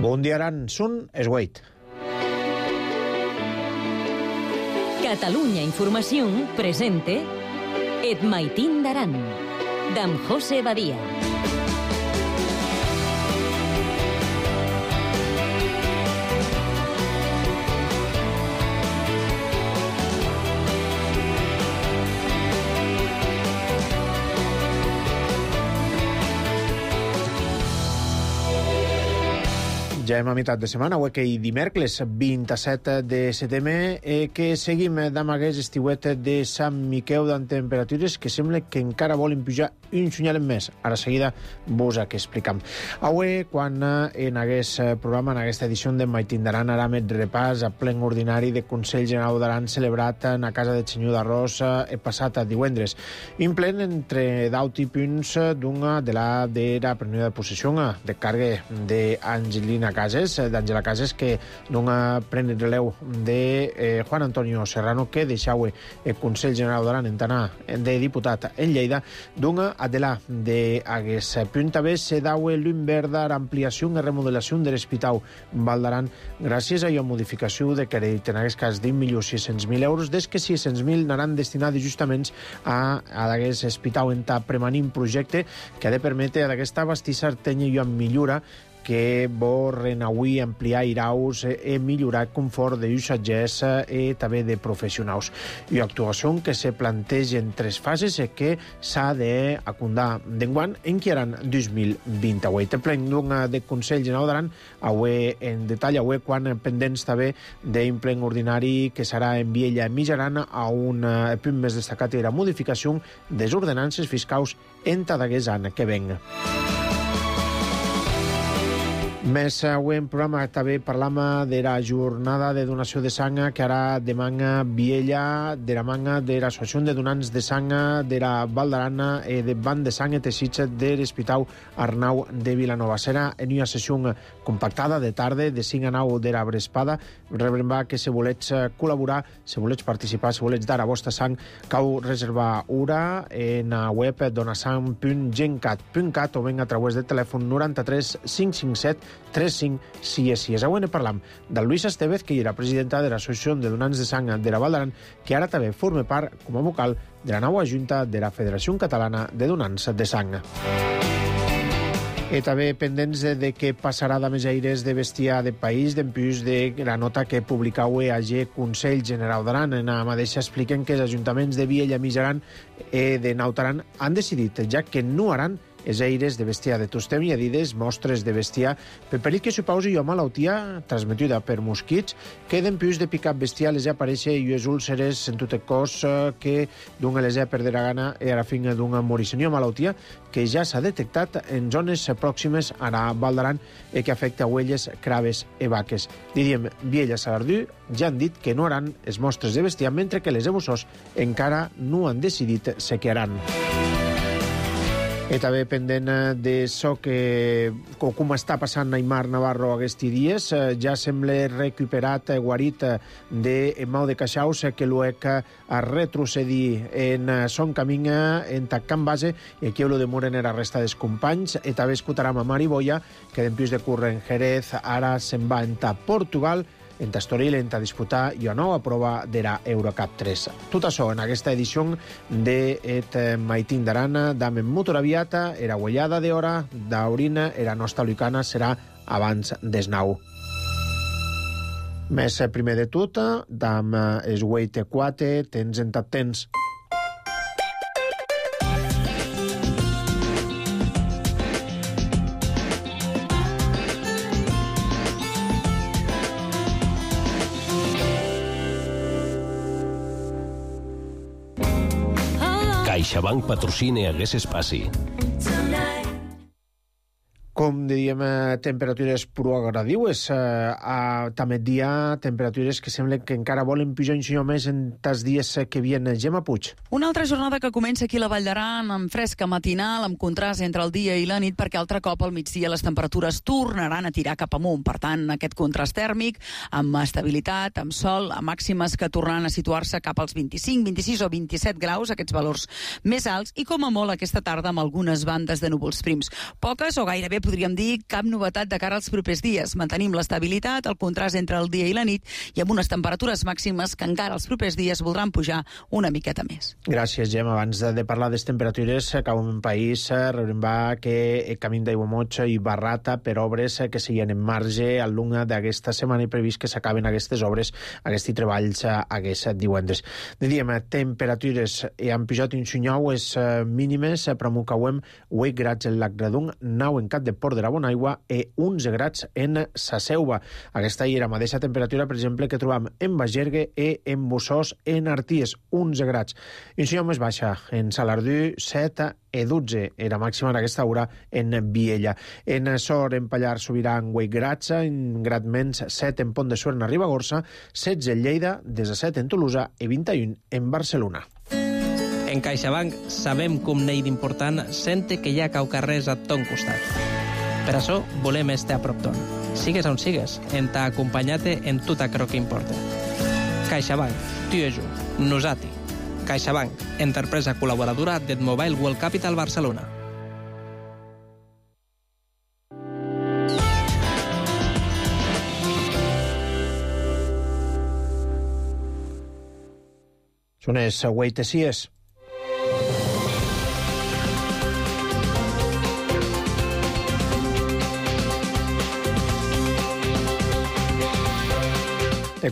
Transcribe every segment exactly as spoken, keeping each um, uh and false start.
Bon dia, Aran. Són es huit. Catalunya Informació presente Et Maitín d'Aran, d'en José Badia. Ja hem a meitat de setmana, avui que hi dimecres vint-i-set de setembre, eh, que seguim amb aquest estiuet de Sant Miquel amb temperatures que sembla que encara volen pujar un senyal més. Ara seguida vos que explicam. Avui, quan en aquest programa, en aquesta edició de Maitín d'Aran, ara met repàs a plen ordinari de Consell General d'Aran celebrat en la Casa de Senyor d'Arròs el passat divendres. Un plen entre deu punts d'una de la de la prenoia de possessió de càrrega d'Angelina Cases, d'Àngela Cases, que dona pren el relevo de eh, Juan Antonio Serrano, que deixau el Consell General d'Aran en tant de diputat en Lleida, dona a de la d'aguest punt. També se dau l'Inverda ampliació i remodelació de l'Hospital Val d'Aran gràcies a la modificació de crèdit en aquest cas d'un milió sis-cents mil euros, des que sis-cents mil anaran destinats justament a, a aquest hospital en ta premanint projecte que ha de permetre a aquesta bastissa tenya i en millora que vol renauir, ampliar iraus i millorar el confort de usatgers i també de professionals. I actuació que se planteja en tres fases i que s'ha d'acundar d'enguany en que eren dos mil vint-i-vuit. El plen de Consell General d'Aran, avui en detall, avui quan pendents també d'un plen ordinari que serà en Viella Mitjaran a un punt més destacat i la modificació des ordenances fiscals en d'aquest any que venga. Més avui en programa també parlam de la jornada de donació de sang que ara demana Viella, de la manga de l'Associació de Donants de Sang de la Val d'Aran i de Banc de Sang i Teixits de l'Hospital Arnau de Vilanova. Serà en una sessió compactada de tarda de cinc a nou de la Brespada. Rebrembar que si volets col·laborar, si volets participar, si volets dar a vostra sang, cau reservar hora en la web donasang punt gencat punt cat o ben a través del telèfon noranta-tres cinc cinc set tres cinc sis sis. Avui ne parlam de Luisa Estevez, que era presidenta de l'Associació de Donants de Sang de la Val d'Aran, que ara també forma part com a vocal de la nova junta de la Federació Catalana de Donants de Sang. I també pendents de, de què passarà de més aires de bestiar de país, d'empús de la nota que publicau a G Consell General d'Aran. En la mateixa expliquen que els ajuntaments de Viella, Mitjaran i de Naut Aran han decidit, ja que no haran els aires de bestiar de tostem i adides, mostres de bestiar, per perill que suposi una malaltia transmetuda per mosquits, que d'empús de picat bestiar les apareix i les úlceres en tot el cos que d'una les ha perdre la gana i a la fin d'una morissió, malaltia que ja s'ha detectat en zones pròximes a la Val d'Aran i que afecta ovelles, craves i vaques. Diríem, Viella Salardú ja han dit que no haran els mostres de bestiar, mentre que les ebussors encara no han decidit se quedaran. I també pendent d'això que com està passant Aimar Navarro aquests dies, ja sembla recuperat, guarit de mal de queixaus que l'UEC ha retrocedit en son camí en Can Base i aquí lo demoren la resta dels companys. I també escoltarem a Mari Boya, que d'empús de córrer en Jerez ara se'n va a Portugal, en Estoril, en a disputar i una nova prova de la Eurocup tres. Tot això en aquesta edició de Et Maitín d'Aran, d'Amen Motor Aviata, era guellada d'hora, d'Aurina, era nostra lucana, serà abans des nou. Més primer de tot, d'am es huit quatre, tens en tot temps. CaixaBank patrocina aquest espai. Com diríem, temperatures prou agradiues. A també dia, temperatures que semblen que encara volen pujar un senyor més en els dies que vienen. Gemma Puig. Una altra jornada que comença aquí a la Vall d'Aran, amb fresca matinal, amb contrast entre el dia i la nit, perquè altre cop al migdia les temperatures tornaran a tirar cap amunt. Per tant, aquest contrast tèrmic, amb estabilitat, amb sol, a màximes que tornaran a situar-se cap als vint-i-cinc, vint-i-sis o vint-i-set graus, aquests valors més alts, i com a molt aquesta tarda amb algunes bandes de núvols prims. Poques o gairebé podríem dir, cap novetat de cara als propers dies. Mantenim l'estabilitat, el contrast entre el dia i la nit i amb unes temperatures màximes que encara els propers dies voldran pujar una miqueta més. Gràcies, Gem. Abans de parlar de les temperatures, cap en país, rebrem va que Camí d'Aiguamoig i Barrata per obres que seguien en marge al llarg d'aquesta setmana i previst que s'acaben aquestes obres, aquests treballs aquests divendres. Diem, temperatures han pujat un sunyau, les mínimes, per Mucauem, vuit grads en Lacradung, nou en Cap de Port de la Bonaigua i onze grads en Sa Selva. Aquesta hi era la mateixa temperatura, per exemple, que trobam en Bagergue i en Bussós, en Arties, onze grads. Un sunyau més baixa, en Salardú, set i dotze, era màxima en aquesta hora en Viella. En Sor, en Pallar, Sobirà, en vuit grads, en grad menys, set en Pont de Suert, en Ribagorça, setze en Lleida, disset en Tolosa i vint i u en Barcelona. En CaixaBank sabem com n'hi d'important sente que hi ha caucarrers a ton costat. Per això volem estar a prop ton. Sigues on sigues, en ta acompanyate en tot aquello que importa. CaixaBank, tu i jo, nosati. CaixaBank, empresa col·laboradora del Mobile World Capital Barcelona. Són les Hueitesies.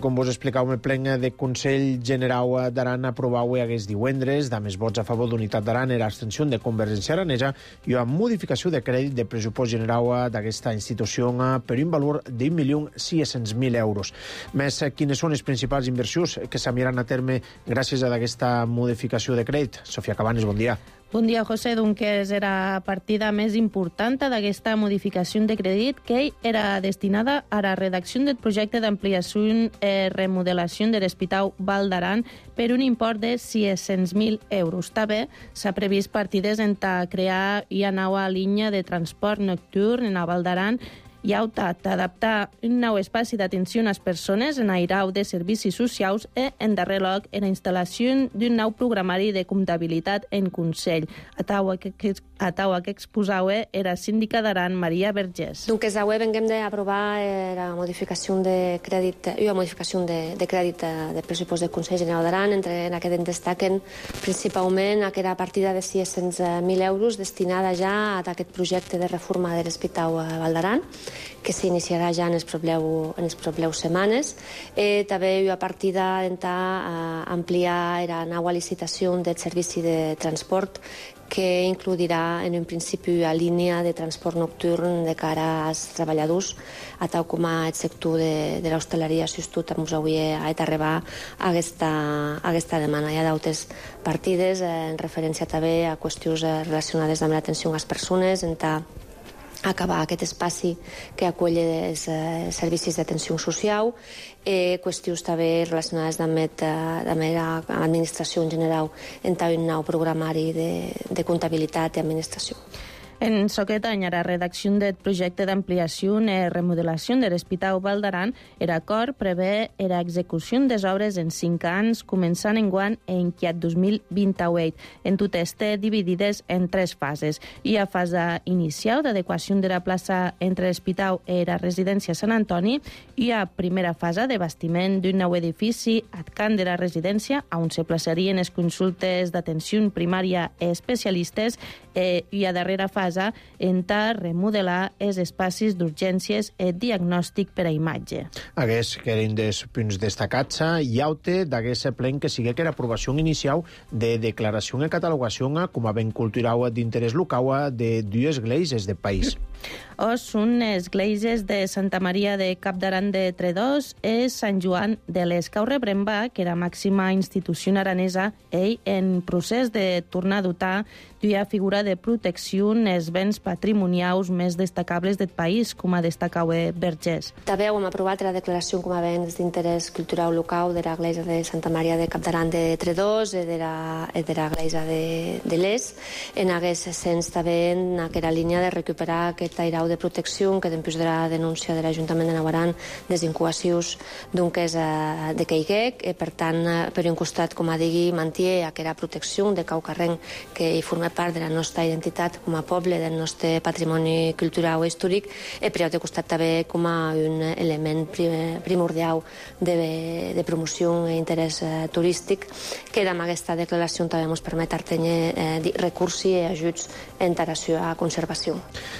Com vos explicàvem, el plen de Consell Generau d'Aran aprovau aquest divendres, amb els vots a favor d'Unitat d'Aran i l'abstenció de Convergència Aranesa i una modificació de crèdit de pressupost general d'aquesta institució per un valor d'un milió sis-cents mil euros. Més, quines són les principals inversions que s'aniran a terme gràcies a aquesta modificació de crèdit? Sofia Cabanes, bon dia. Bon dia, José. Doncs era la partida més important d'aquesta modificació de crèdit que era destinada a la redacció del projecte d'ampliació i remodelació de l'Hospital Val d'Aran per un import de sis-cents mil euros. També s'ha previst partides en crear una nova línia de transport nocturn en la Val d'Aran i ha optat a adaptar un nou espai d'atenció a les persones en airau de servicis socials i, en darrer lloc, en la instal·lació d'un nou programari de comptabilitat en Consell. A taua que, que, a taua que exposau era síndica d'Aran, Maria Vergés. Donc, avui venguem d'aprovar eh, la modificació de crèdit, i la modificació de, de crèdit de pressupost del Consell General d'Aran, entre en aquest en destaquen principalment aquella partida de sis-cents mil euros destinada ja a aquest projecte de reforma de l'Hospital Val d'Aran, que s'iniciarà ja en els propers, en les properes setmanes. Eh, també hi ha partida d'ampliar la nova licitació del servici de transport que incluirà en un principi la línia de transport nocturn de cara als treballadors, a tal com el sector de, de l'hostaleria assistit a Musauier ha d'arribar a aquesta, a aquesta demanda. Hi ha d'altres partides eh, en referència també a qüestions relacionades amb l'atenció a les persones, en ta acabar aquest espai que acull els eh, servicis d'atenció social, eh, qüestions també relacionades amb, amb l'administració en general, en un nou programari de, de comptabilitat i administració. En aquest any, a la redacció del projecte d'ampliació i remodelació de l'Hospital Val d'Aran, l'acord prevé l'execució de les obres en cinc anys, començant enguany en aquest dos mil vint-i-vuit, en totes dividides en tres fases. Hi ha fase inicial d'adequació de la plaça entre l'Hospital i la residència Sant Antoni, hi ha primera fase de bastiment d'un nou edifici adcant de la residència, on se plaçarien les consultes d'atenció primària i especialistes, i hi ha darrera fase en ta remodelar els espais d'urgències i diagnòstic per a imatge. Aquests que eren dels punts destacats, hi ha d'aquest plen que sigui que l'aprovació inicial de declaració i catalogació com a ben cultural d'interès local de dues esglésies del país. O són esglésies de Santa Maria de Capdaran de Tredòs i Sant Joan de l'Escau Rebremba, que era màxima institució aranesa, ell en procés de tornar a dotar d'una figura de protecció els béns patrimonials més destacables del país, com a destacau Vergés. També hem aprovat la declaració com a béns d'interès cultural local de l'església de Santa Maria de Capdaran de Tredòs i de l'església de, de l'Es. En aquest sens també en aquella línia de recuperar aquest airau de protecció que després de la denúncia de l'Ajuntament de Navarran des incubacions d'unques de Caiguec, i per tant, per un costat, com a digui, manté aquella protecció de cau carrenc que hi forma part de la nostra identitat com a poble, poble, del nostre patrimoni cultural i històric, i per altre costat també com a un element primordial de, de promoció i interès eh, turístic, que amb aquesta declaració també ens permet tenir eh, recursos i ajuts en relació a conservació.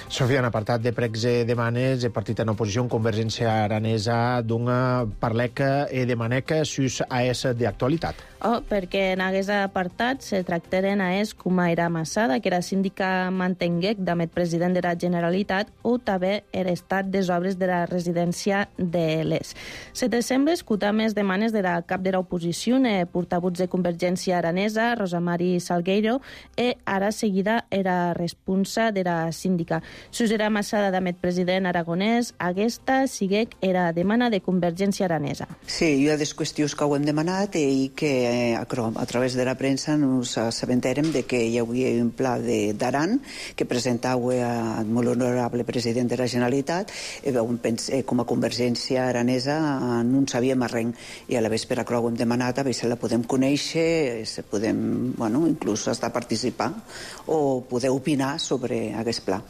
Sofia, en apartat de pregs i demanes, el partit en oposició en Convergència Aranesa d'una parleca i demaneca sus a essa d'actualitat. Oh, perquè en aquest apartat se tractaren a es com a era Massada, que era síndica mantenguec d'amet president de la Generalitat, o també era estat des obres de la residència de l'Es. Se te sembla escutar més demanes de la cap de l'oposició, eh, portavuts de Convergència Aranesa, Rosa Mari Salgueiro, e ara seguida era responsa de la síndica. Sus era Massada d'amet president aragonès, aquesta siguec era demana de Convergència Aranesa. Sí, hi ha des qüestions que ho hem demanat i que a través de la premsa ens assabentarem de que hi havia un pla d'Aran que presentava al molt honorable president de la Generalitat i com a Convergència Aranesa no en sabíem res i a la vespre que ho hem demanat a veure si la podem conèixer, si podem, bueno, inclús estar a participar o poder opinar sobre aquest pla.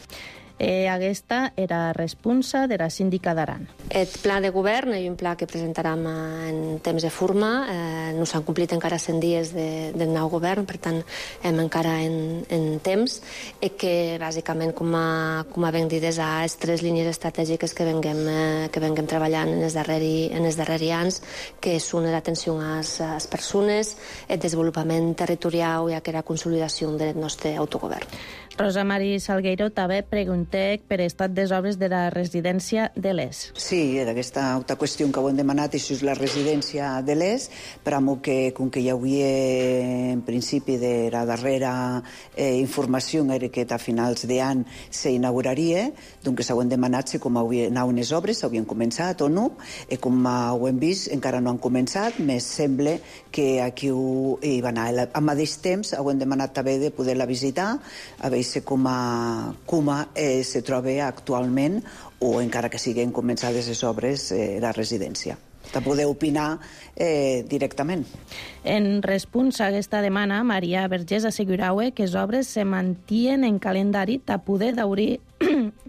Eh, aquesta era responsa de la síndica d'Aran. El pla de govern és un pla que presentarem en temps de forma. Eh, no s'han complit encara cent dies de, del nou govern, per tant, hem encara en, en temps, i que, bàsicament, com a, com a ben dit, és a les tres línies estratègiques que venguem, eh, que venguem treballant en els darrers, en els darrers anys, que són l'atenció a les persones, el desenvolupament territorial i la consolidació del nostre autogovern. Rosa Mari Salgueiro també preguntec per estat des obres de la residència de l'Es. Sí, era aquesta altra qüestió que ho hem demanat, això és la residència de l'Es, però que, com que hi havia en principi de la darrera eh, informació era que a finals d'any s'inauguraria, doncs ho hem demanat si com anaven les obres, s'havien començat o no, i com ho hem vist encara no han començat, més sembla que aquí ho, hi va anar. Al mateix temps ho hem demanat també de poder-la visitar, a veure com a, com a eh, se troba actualment o encara que siguin començades les obres eh, la residència. De poder opinar eh, directament. En responsa a aquesta demanda, Maria Vergés assegurava que les obres se mantien en calendari de poder d'obrir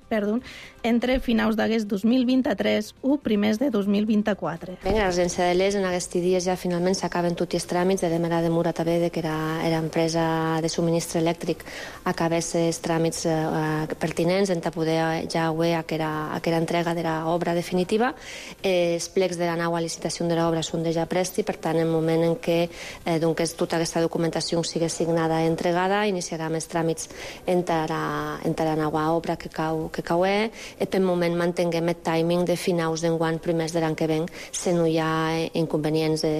perdó, entre finals d'aquest dos mil vint-i-tres o primers de dos mil vint-i-quatre. Bé, la residència de l'Es en aquests dies ja finalment s'acaben tots els tràmits de demanda de Mura també, de que era, era empresa de subministre elèctric, acabés els tràmits eh, pertinents en poder ja haver aquella, aquella entrega de l'obra definitiva. Eh, els plecs de la nova licitació de l'obra són ja presti, per tant, en el moment en què eh, doncs, tota aquesta documentació sigui signada i entregada, iniciarem els tràmits entre la, entre la nova obra que cau, que cau és, i per moment mantenguem el timing de finals d'enguany primers de l'any que ven, si no hi ha inconvenients de,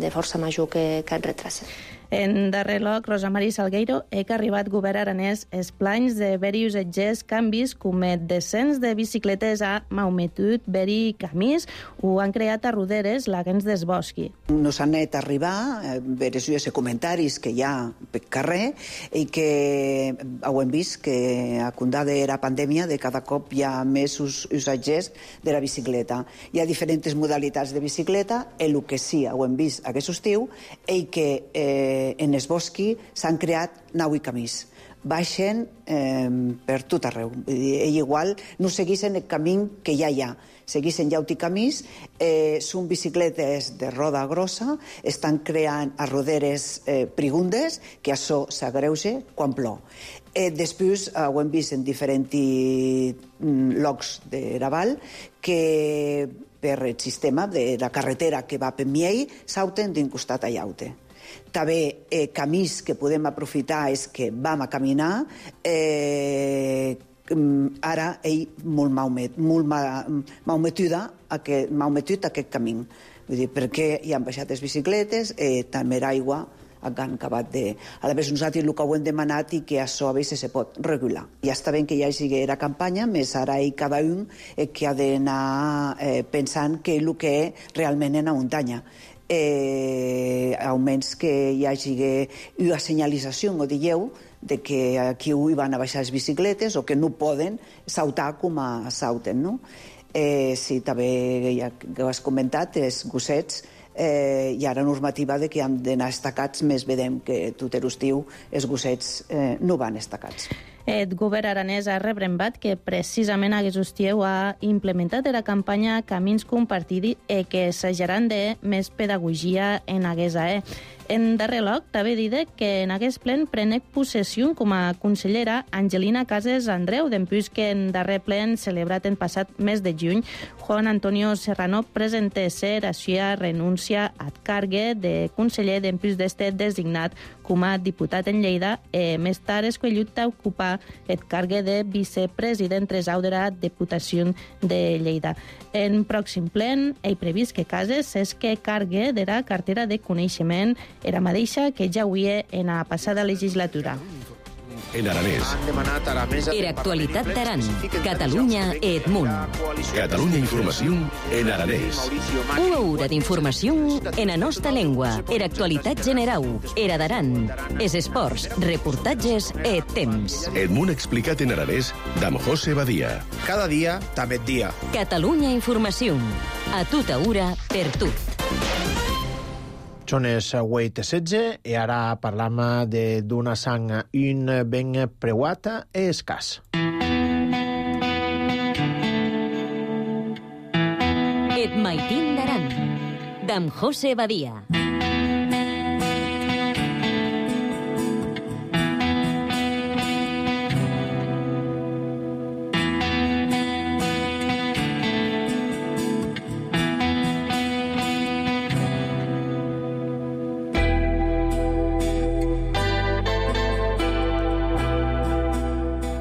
de força major que, que et retracen. En darrer lloc, Rosa Mari Salgueiro, he que arribat govern aranès els planys de varios etgers canvis com el descens de bicicletes a Maumetut, Beri i Camís, ho han creat a Roderes, l'Agens des Bosqui. Nos han anat a arribar a veure els comentaris que hi ha per carrer i que ho hem vist que a condada de la pandèmia de cada cop hi ha més usatgers de la bicicleta. Hi ha diferents modalitats de bicicleta, el que sí ho hem vist aquest estiu i que eh, en es bosqui s'han creat nau i camís. Baixen eh, per tot arreu. I igual no segueixen el camí que ja hi ha. Segueixen llaut i camís, eh, són bicicletes de roda grossa, estan creant a roderes eh, prigundes, que això s'agreuja quan plou. Eh, després eh, ho hem vist en diferents mm, llocs de la vall que per el sistema de la carretera que va per Miei sauten d'un costat a llaute. També eh, camins que podem aprofitar és que vam a caminar, eh, ara ell molt, maumet, molt ma, maumetuda aquest, maumetut aquest camí. Vull dir, perquè hi han baixat les bicicletes, eh, també l'aigua han acabat de... A la vegada nosaltres el que ho hem demanat i que això a vegades se pot regular. Ja està bé que hi hagi la campanya, més ara hi cada un eh, que ha d'anar eh, pensant que el que realment en la muntanya. Eh, almenys que hi hagi una senyalització, ho dieu, de que aquí hi van a baixar les bicicletes o que no poden saltar com a salten, no? Eh, sí, també, ja que ho has comentat, els gossets, eh, hi ha la normativa de que han d'anar estacats, més vedem que tot l'estiu els gossets eh, no van estacats. El govern aranès ha rebrembat que precisament aquest hostieu ha implementat la campanya Camins Compartidi i que assajaran de més pedagogia en aquesta. Eh? En darrer lloc, també diré que en aquest plen prenec possessió com a consellera Angelina Cases Andreu, dempús que en darrer plen celebrat en passat mes de juny, Juan Antonio Serrano presenta ser a seva renúncia ad cargue de conseller dempús d'este designat com a diputat en Lleida i més tard escollit a ocupar el cargue de vicepresident tresau de la Diputació de Lleida. En pròxim plen, he previst que Cases és que cargue de la cartera de coneixement era mateixa que ja huia en la passada legislatura. En aranès. Era actualitat d'Aran, Catalunya e Edmunt. Catalunya Informació en aranès. Una hora d'informació en la nostra llengua. Era actualitat generau, era d'Aran. Es esports, reportatges e temps. Edmunt explicat en aranès d'Am José Badia. Cada dia, també dia. Catalunya Informació. A tota hora, per tot. Són les vuit i setze i ara parlam d'una sang un ben preuata i escàs. Et maitin d'Aran, d'Am José Badia.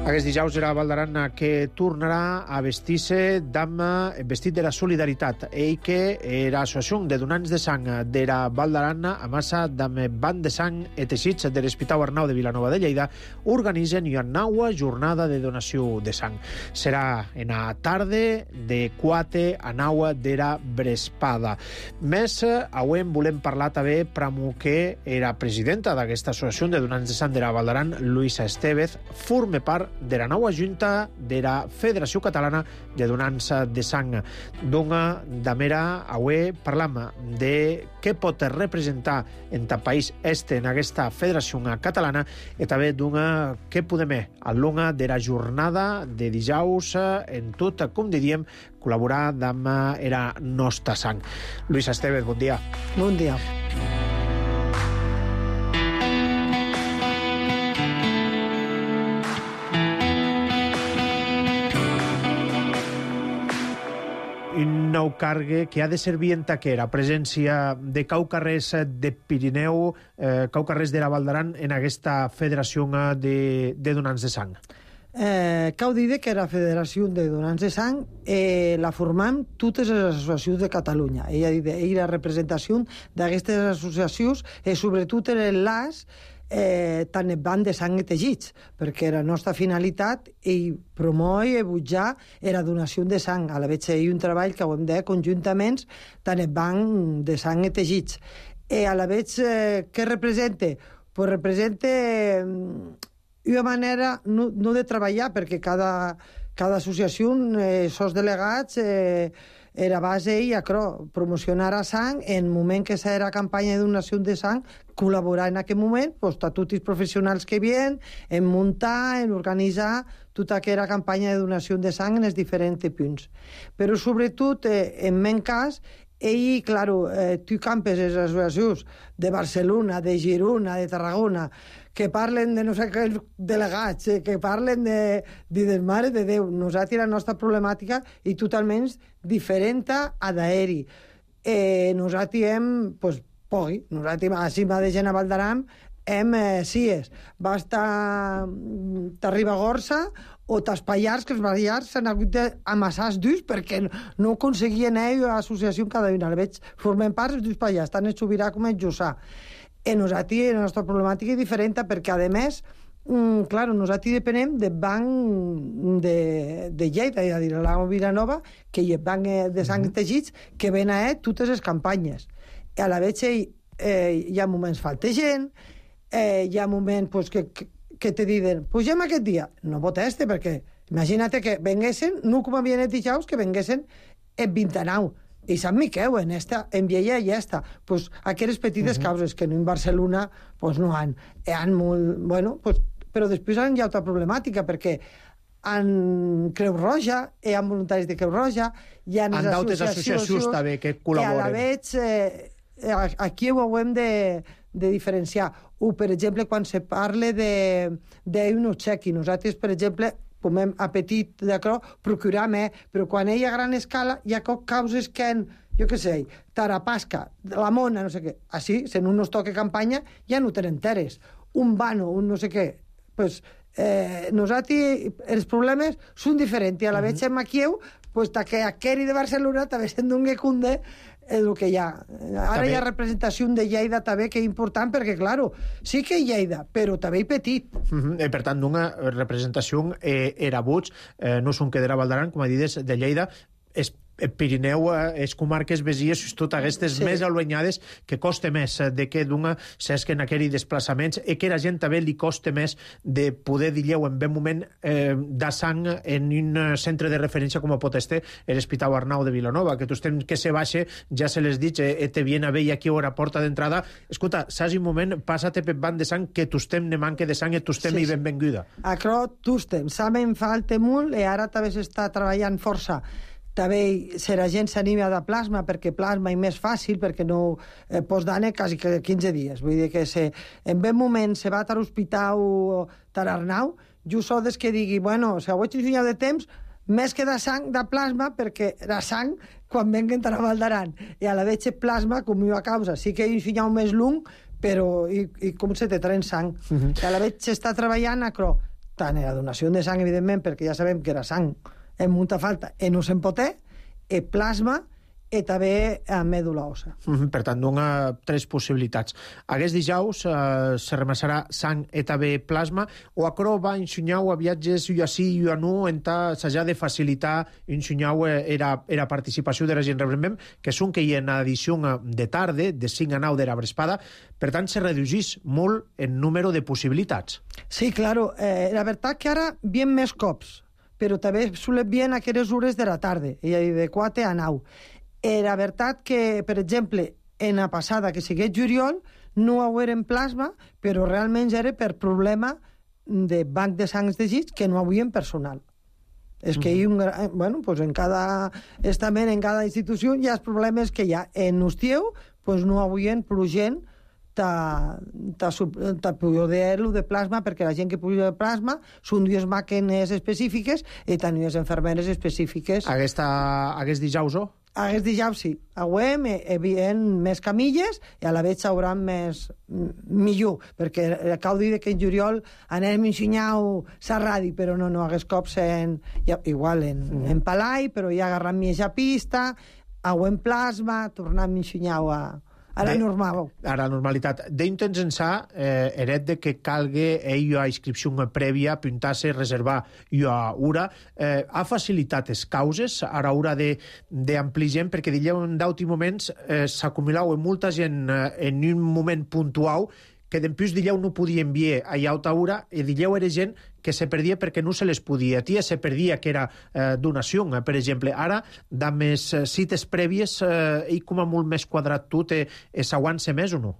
Aquest dijous era Val d'Aran que tornarà a vestir-se d'am vestit de la solidaritat. Ell que era associació de donants de sang de la Val d'Aran a massa d'am banc de sang i teixits de l'Hospital Arnau de Vilanova de Lleida organitzen una nova jornada de donació de sang. Serà en la tarda de quatre a nou de la vesprada. Més, avui volem parlar també amb que era presidenta d'aquesta associació de donants de sang de la Val d'Aran, Luisa Estevez, forma part de la nova junta de la Federació Catalana de Donants de Sang. D'una damera, avui parlam de què pot representar en el país este en aquesta federació catalana i també d'una què podem a l'una de la jornada de dijous en tot, com diríem, col·laborar amb era nostra sang. Luisa Estevez, bon dia. Bon dia. Un nou cargue que ha de servir en taquera, presència de caucarrers de Pirineu, eh, caucarrers de la Val d'Aran en aquesta federació de, de donants de sang. Eh, cal dir que la Federació de Donants de Sang eh, la formam totes les associacions de Catalunya. Ella dit, ell la representació d'aquestes associacions és sobretot l'enllaç eh, tant el banc de sang i teixits, perquè la nostra finalitat és promoure i butjar la donació de sang. A la vegada hi ha un treball que ho hem de conjuntament tant el banc de sang i teixits. I a la vegada, eh, què representa? Pues representa una manera no, no de treballar, perquè cada, cada associació, eh, sos delegats, eh, era base i a promocionar a sang en el moment que s'era campanya de donació de sang, col·laborar en aquest moment, pues, a tots els professionals que havien, en muntar, en organitzar tota aquella campanya de donació de sang en els diferents punts. Però sobretot, eh, en meu cas, ell, claro, eh, tu campes les associacions de Barcelona, de Girona, de Tarragona, que parlen de no sé què delegats, eh, que parlen de, de, de Mare de Déu. Nosaltres la nostra problemàtica és totalment diferent a d'aeri. Eh, nosaltres hem, pues, pogui, nosaltres a cima de gent a Val d'Aran hem eh, sies. Va estar a Ribagorça o tas Pallars, que els Pallars s'han hagut d'amassar els dus perquè no aconseguien ells l'associació cada una. Veig, formem part els dos Pallars, tant el Sobirà com el Jussà. I nosaltres, la nostra problemàtica és diferent perquè, a més, mm, clar, nosaltres depenem del banc de, de Lleida, és a dir, la Vilanova, que hi ha banc de sang i teixits, que ven a ell totes les campanyes. I a la vegada eh, hi ha moments falta gent, eh, hi ha moments pues, que, que, que te diuen, pugem aquest dia. No proteste, perquè imagina't que venguessin, no com havien dit dijous, que venguessin el vint-i-nou. I Sant Miquel, en, esta, en Viella i esta. Pues, aquelles petites uh -huh. causes que no en Barcelona pues, no han. Han molt, bueno, pues, però després hi ha altra problemàtica, perquè en Creu Roja, hi ha voluntaris de Creu Roja, hi ha les associacions, associacions també que col·laboren. I a la veig, eh, aquí ho hem de, de diferenciar. O, per exemple, quan se parla d'un obsequi, nosaltres, per exemple, comem a petit, d'acord, procuram, eh? Però quan hi ha gran escala, hi ha causes que en, jo què sé, Tarapasca, la Mona, no sé què, així, si no nos toca campanya, ja no tenen teres. Un vano, un no sé què, pues, eh, nosaltres, els problemes són diferents, i a la vegada uh -huh. aquí, pues, que aqueri de Barcelona també se'n doni cunde el que hi ha. Ara també hi ha representació de Lleida també, que és important, perquè, claro, sí que hi Lleida, però també hi petit. Uh -huh. eh, per tant, una representació eh, era Buig, eh, no són que de Val d'Aran, com a dit, de Lleida, és Pirineu, les comarques besies, tot aquestes sí. més alunyades, que costa més de que d'una s'esquen aquells desplaçaments i que a la gent també li costa més de poder dir en ben moment eh, de sang en un centre de referència com pot estar l'Hospital Arnau de Vilanova, que tu estem que se baixa, ja se les dit, eh, te viene a veure aquí a la porta d'entrada. Escolta, saps un moment, passa-te per banc de sang, que tu estem ne manca de sang i tu estem sí, i benvinguda. Acro, tu estem, saben falta molt i ara també s'està treballant força. També si la gent s'anima de plasma, perquè plasma és més fàcil, perquè no eh, pots d'anar quasi quinze dies. Vull dir que si en ben moment se va a l'hospital Tararnau, jo sóc des que digui, bueno, si ho vaig ensenyar de temps, més que de sang, de plasma, perquè la sang, quan venguen a Val d'Aran, i a la veig plasma, com jo a causa, sí que he ensenyat més lung, però i, i com se te tren sang. Uh -huh. I a la veig s'està treballant, acro, tant en la donació de sang, evidentment, perquè ja sabem que la sang en molta falta, en no se'n pot ter, en plasma, i també en mèdula òssa. Mm-hmm, per tant, dona tres possibilitats. Aquest dijous eh, se remassarà sang i també plasma, o acro va ensenyar a viatges i així i a no, en s'ha de facilitar ensenyar era, era participació de la gent. Recordem que són que hi ha una edició de tarda, de cinc a nou de la Brespada, per tant, se reduïs molt el número de possibilitats. Sí, claro. Eh, la veritat que ara vien més cops, però també solen bien aquelles hores de la tarda, i de quatre a nou. Eh, la veritat que, per exemple, en la passada, que sigués juliol, no ho era en plasma, però realment era per problema de banc de sangs de llits que no havien personal. És que hi ha un, bueno, pues en cada estament, en cada institució, hi ha els problemes que hi ha. En Ustieu, pues no havien prou gent de poder-lo de plasma, perquè la gent que puja de plasma són dues màquines específiques i tenir les infermeres específiques. Aquesta, aquest dijous, o? Aquest dijous sí. Avui hi havia més camilles i a la vegada s'haurà més millor, perquè cal dir que en juliol anem a ensenyar la ràdio, però no, no, aquests cops en, igual en, mm. en Palai, però ja agarrant més a pista, avui en plasma, tornant a ensenyar a a la normal. A la normalitat. D'intents ençà, eh, eret de que calgue ell a inscripció prèvia, apuntar-se, reservar i a ura, eh, ha facilitat les causes a l'hora d'amplir gent, perquè dilleu en d'altres moments eh, s'acumulau molta gent eh, en un moment puntual que d'empús dilleu no podia enviar a alta hora i dilleu era gent que se perdia perquè no se les podia. Tia se perdia que era eh, donació, eh, per exemple. Ara, de més eh, cites prèvies, eh, i com a molt més quadrat tot, eh, s'aguanta més o no?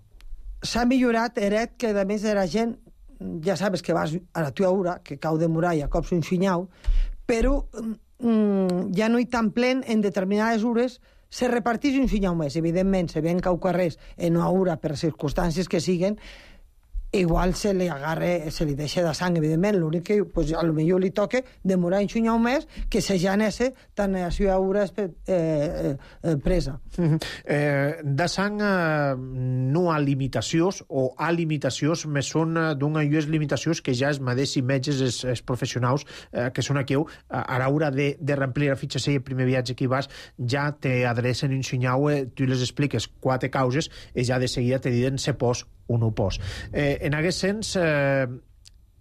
S'ha millorat, Eret, que a més la gent, ja sabes que vas a la tua hora, que cau de muralla, cops un xinyau, però mm, ja no hi tan plen en determinades hores se repartís un xinyau més. Evidentment, se ven cau carrers en una hora per circumstàncies que siguen, igual se li agarre, se li deixa de sang, evidentment. L'únic que, pues, a lo millor li toca demorar un xinyau més que se ja nesse tan a la seva hora eh, eh, presa. Mm-hmm. eh, de sang eh, no ha limitacions, o ha limitacions, més són eh, d'una i les limitacions que ja els mateixos metges, els, els professionals eh, que són aquí, a, a l'hora de, de remplir la fitxa, si el primer viatge que hi vas, ja t'adrecen un xinyau, eh, tu les expliques quatre causes i ja de seguida te diuen se pos o no pos. Eh, en aquest sens, eh,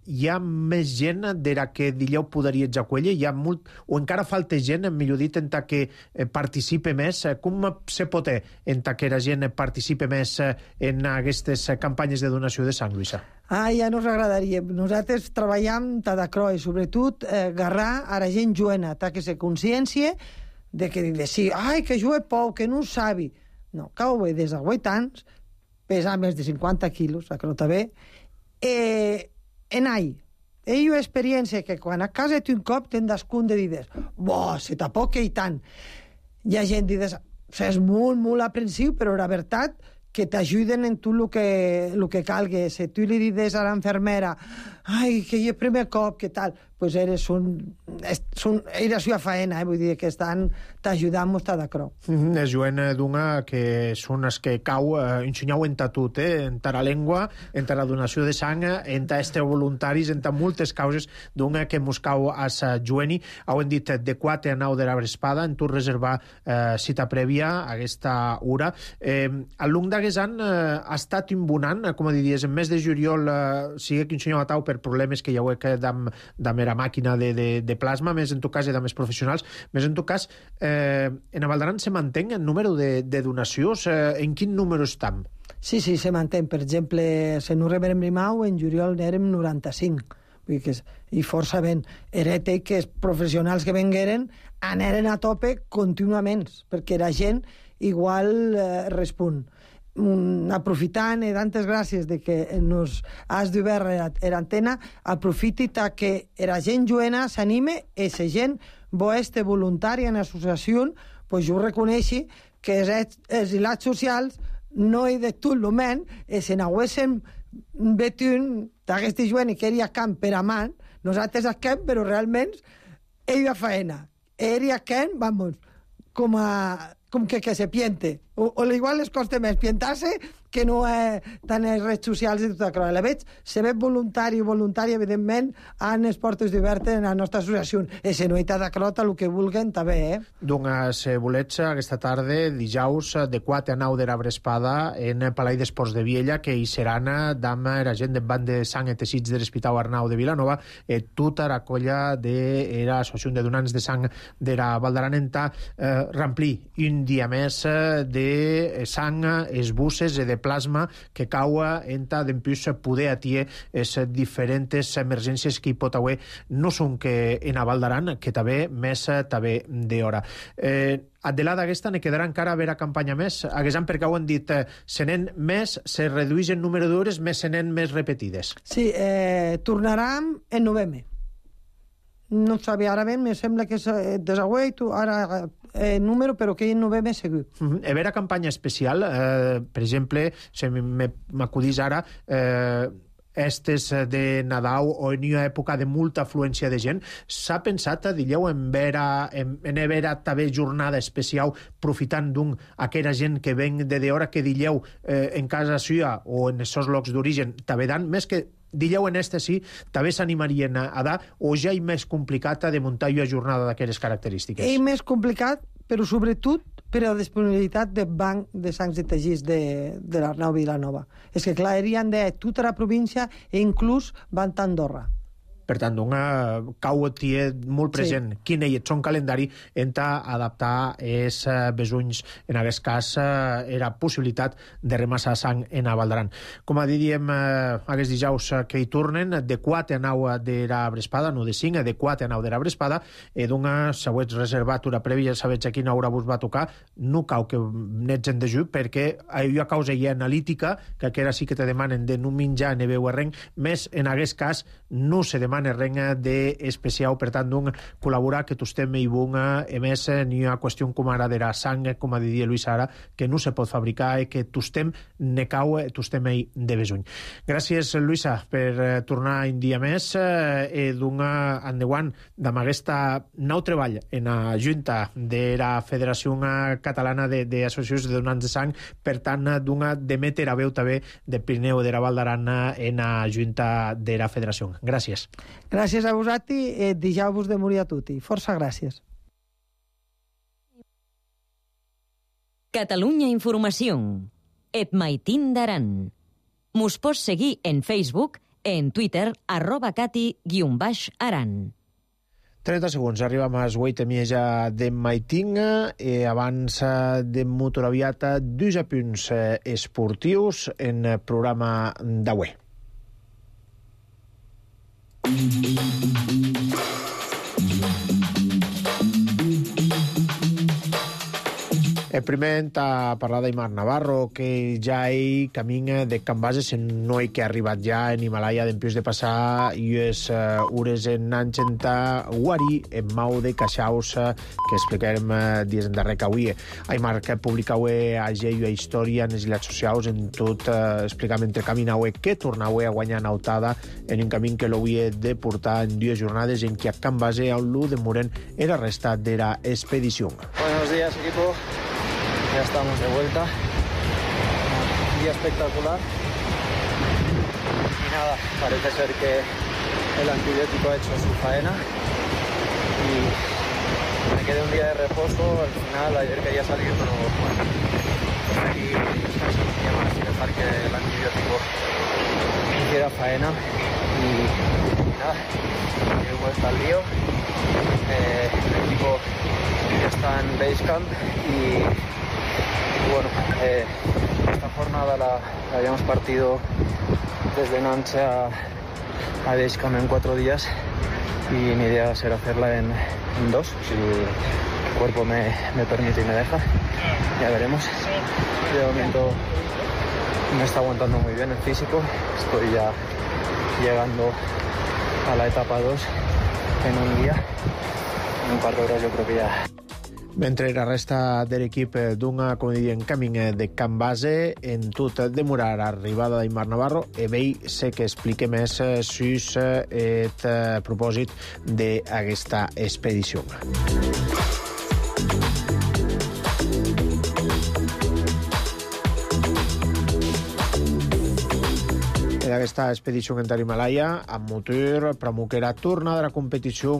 hi ha més gent de la que dilleu podria jacuella? Hi ha molt, o encara falta gent, millor dit, en que eh, participe més? Com se pot fer en que la gent participe més eh, en aquestes campanyes de donació de sang, Lluïsa? Ah, ja nos agradaria. Nosaltres treballem de croix, sobretot eh, agarrar a la gent joana, que se consciència de que de sí, ai, que jo he pou, que no ho sabi. No, cau bé, des de vuit anys, pesa més de cinquanta quilos, que no està bé, eh, en ahí. Ell ha experiència que quan a casa té un cop te'n das compte de dir, bo, se t'apoca i tant. Hi ha gent que dius, és molt, molt aprensiu, però la veritat que t'ajuden en tot el que, el que calgui. Si tu li dius a l'infermera, ai, que hi ha primer cop, que tal, pues eres un... Són, era la seva feina, eh? Vull dir que estan t'ajudant molt d'acord. Mm-hmm. És joen d'una que són els que cau, eh, ensenyau en tot, eh? En la llengua, en la donació de sang, en este voluntaris, en moltes causes d'una que mos cau a sa joeni. Ho hem dit de quatre a nou de la Vespada, en tu reservar eh, cita prèvia a aquesta hora. Eh, al long d'aquest any eh, ha estat imbonant, com a diries, en mes de juliol eh, sigue que ensenyau a tau per problemes que hi ha que dam, dam era màquina de, de, de plasma, més en tot cas de més professionals, més en tot cas eh, en Avaldaran se manté el número de, de donacions, eh, en quin número estem? Sí, sí, se manté. Per exemple, se no rebrem rimau, en juliol n'érem noranta-cinc. Vull dir que és, i força ben. Herete que els professionals que vengueren aneren a tope contínuament, perquè la gent igual eh, respon. Mm, aprofitant i tantes gràcies de que nos has d'obert l'antena, aprofiti que la gent joena s'anime i la gent bo este voluntària en associació, pues jo reconeixi que els, els hilats socials no hi de tot el moment, i si n'haguéssim vetun d'aquesta joena que era camp per a man, nosaltres a camp, però realment ell a faena. Ell a camp, vamos, com a com que, que se piente. O, o igual les costa més pientar-se que no eh, tant les redes socials i tot això. La veig, se ve voluntari i voluntari, evidentment, en les portes d'obertes en la nostra associació. I si no hi t'ha d'acrot a el que vulguen, també, eh? Doncs, eh, volets, aquesta tarda, dijous, de quatre a nou de la Vespada, en Palai d'Esports de Viella, que hi seran amb la gent de Banc de Sang i Teixits de l'Hospital Arnau de Vilanova, i tota la colla de l'Associació de Donants de Sang de la Valdaran enta eh, ramplir un dia més de sang, es busses i de plasma que caua enta d'empús poder atier les diferents emergències que hi pot haver, no són que en a Valdaran, que també més també d'hora. Eh, Adelada aquesta ne quedarà encara a veure campanya més, haguessin perquè ho han dit, eh, se n'en més, se redueix el número d'hores, més se n'en més repetides. Sí, eh, tornarem en novembre. No sabia ara ben, me sembla que és desagüeit, ara eh, número, però que en novembre segur. Uh-huh. A veure campanya especial, eh, per exemple, si m'acudís ara, eh, estes de Nadal o en una època de molta afluència de gent, s'ha pensat, digueu, en veure, en, en veure també jornada especial profitant d'un aquella gent que ven de d'hora que digueu eh, en casa seva o en aquests llocs d'origen també dan, més que digueu en este sí, també s'animarien a dar o ja és més complicat de muntar una jornada d'aquelles característiques? És més complicat, però sobretot per la disponibilitat del banc de sangs i teixits de, de l'Arnau Vilanova. És que clar, erien de tota la província i inclús van a Andorra. Per tant, una cau tie molt present sí. Quin és son calendari enta adaptar els besunys, en aquest cas era possibilitat de remassar sang en a Valdaran. Com a diríem aquests dijous que hi tornen de quatre a nou de la Vespada, no de cinc, de quatre a nou de la Vespada, i d'una següent reservat una prèvia, sabets a quina hora vos va tocar, no cau que n'ets en dejú, perquè hi ha causa hi analítica, que aquera sí que te demanen de no menjar ni beure res, més en aquest cas no se demana renga d'especial, per tant, d'un col·laborar que tostem i bunga, a més, n'hi ha qüestió com ara de la sang, com a diria Luis ara, que no se pot fabricar i que tostem ne cau, tostem ell de besuny. Gràcies, Luisa, per tornar un dia més i donar endavant amb aquesta nou treball en la Junta de la Federació Catalana d'Associacions de Donants de Sang, per tant, donar d'emetre a veu també de Pirineu de la Valdaran en la Junta de la Federació. Gràcies. Gràcies a vosaltres i deixeu-vos de morir a tutti. Força gràcies. Catalunya Informació. Et maitin d'aran. Mos pots seguir en Facebook, en Twitter, arroba cati guion baix aran. trenta segons, arribem a les vuit i mitja de maitinga i abans de motoraviata dos apunts esportius en el programa d'avui. El primer a parlar d'Aimar Navarro, que ja ell camina de Can Bases en noi que ha arribat ja en Himalaya d'empius de passar i és uh, ures en Nanchenta Wari, en mau de Caixaus, uh, que explicarem uh, dies en darrer que avui. Aimar que publicau a Geo a Història en les illes socials en tot uh, explicam entre caminau que tornau a guanyar nautada en un camí que l'hauria de portar en dues jornades en què a Can Base on l'u de Muren era restat de la expedició. Buenos días, equipo. Ya estamos de vuelta. Un día espectacular. Y nada, parece ser que el antibiótico ha hecho su faena. Y me quedé un día de reposo. Al final, ayer quería salir, pero bueno, preferí descansar un día más y dejar que el antibiótico hiciera faena. Y, y nada, luego está el lío. Eh, el equipo está en Basecamp y, y bueno, eh, esta jornada la, la habíamos partido desde Nantes a, a Basecamp en cuatro días y mi idea será hacerla en, en dos, si el cuerpo me, me permite y me deja, ya veremos. De momento me está aguantando muy bien el físico, estoy ya llegando a la etapa dos en un día, en un par de horas yo creo que ya. Mentre la resta de l'equip d'una, com diem, camí de Can Base, en tot demorar l'arribada d'Aimar Navarro, e vell sé que explique més sus et propòsit d'aquesta expedició. D'aquesta expedició en Himalaya, amb motor, Pramuk era tornada a la competició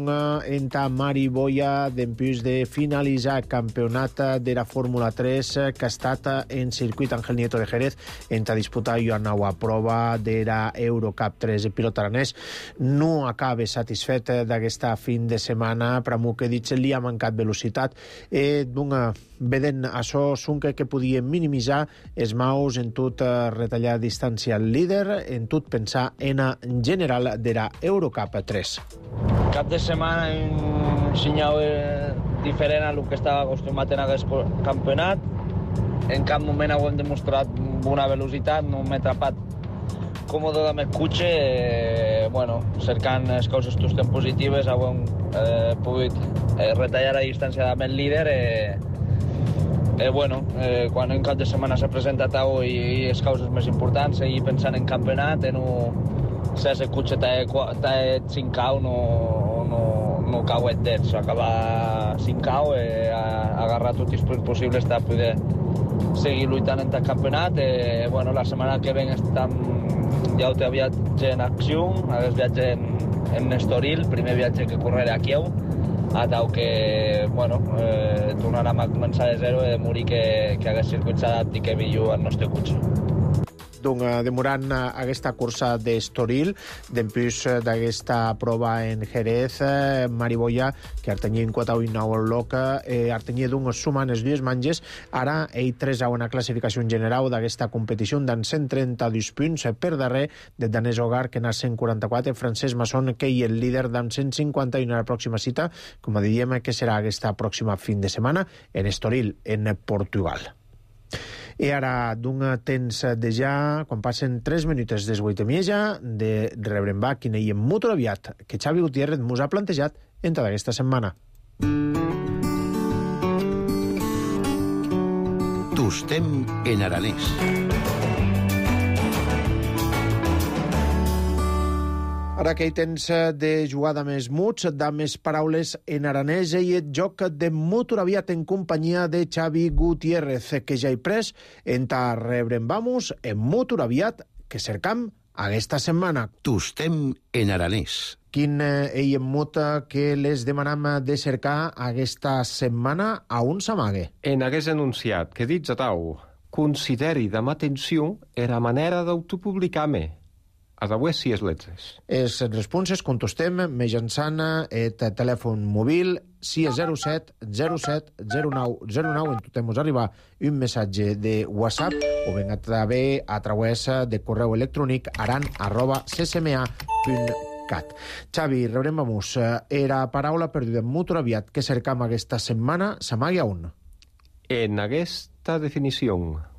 en Mari Boya d'empús de finalitzar el campionat de la Fórmula tres que ha estat en circuit Ángel Nieto de Jerez en a disputar una nova prova de la Eurocup tres. El pilot aranès no acaba satisfet d'aquesta fin de setmana. Pramuk ha dit que li ha mancat velocitat i d'una vedent això sunca que podia minimitzar els maus en tot retallar distància al líder, en tot pensar en en general de la Eurocup tres. Cap de setmana un senyal diferent a lo que estava acostumat en aquest campionat. En cap moment ho hem demostrat una velocitat, no m'he atrapat còmode amb el cotxe. Eh, bueno, cercant les coses tostes positives, hem eh, pogut eh, retallar la distància amb el líder. Eh, Eh, bueno, eh, quan un cap de setmana s'ha presentat avui i les causes més importants, seguir pensant en campionat, en un... si el cotxe t'ha cinc cau, no, no, no cau et dets, acabar cinc cau, eh, agarrar tots els punts possibles per poder seguir lluitant en el campionat. Eh, bueno, la setmana que ven estem, ja ho té viatge en acció, aquest viatge en, en Estoril, primer viatge que correré a Kiev, a tau que, bueno, eh, tornarem a començar de zero i de morir que, que hagués circuit s'adapti que millor al nostre cotxe. Donc, demorant aquesta cursa d'Estoril, d'empús d'aquesta prova en Jerez, Mari Boya, que artenia en quatre nou el loc, eh, artenia d'un sumant les dues manges, ara ell tres a una classificació general d'aquesta competició d'en cent trenta-dos punts per darrer de Danés Hogar, que n'ha cent quaranta-quatre, Francesc Masson, que hi el líder d'en cent cinquanta i una pròxima cita, com diem, que serà aquesta pròxima fin de setmana en Estoril, en Portugal. I ara, d'un temps de ja, quan passen tres minuts des vuit i mitja, de rebre'm va quina hi ha molt aviat, que Xavi Gutiérrez mos ha plantejat en tota aquesta setmana. Tostem en aranès. Ara que hi tens de jugada més muts, de més paraules en aranès i el joc de motor aviat en companyia de Xavi Gutiérrez, que ja he pres en ta rebre'm vamos en motor aviat que cercam aquesta setmana. Tostem en aranès. Quin ell en mota que les demanam de cercar aquesta setmana a un s'amague? En hagués anunciat que dits a tau consideri d'ama atenció era manera d'autopublicar-me. A d'avui si és letres. Les responses contestem mitjançant el telèfon mòbil si és zero set zero set zero nou zero nou. Intentem arribar un missatge de WhatsApp o ben a través a través de correu electrònic aran arroba c c m a punt cat. Xavi, rebrem vamos. Era paraula perduda en motor aviat que cercam aquesta setmana s'amagui a un. En aquesta definició,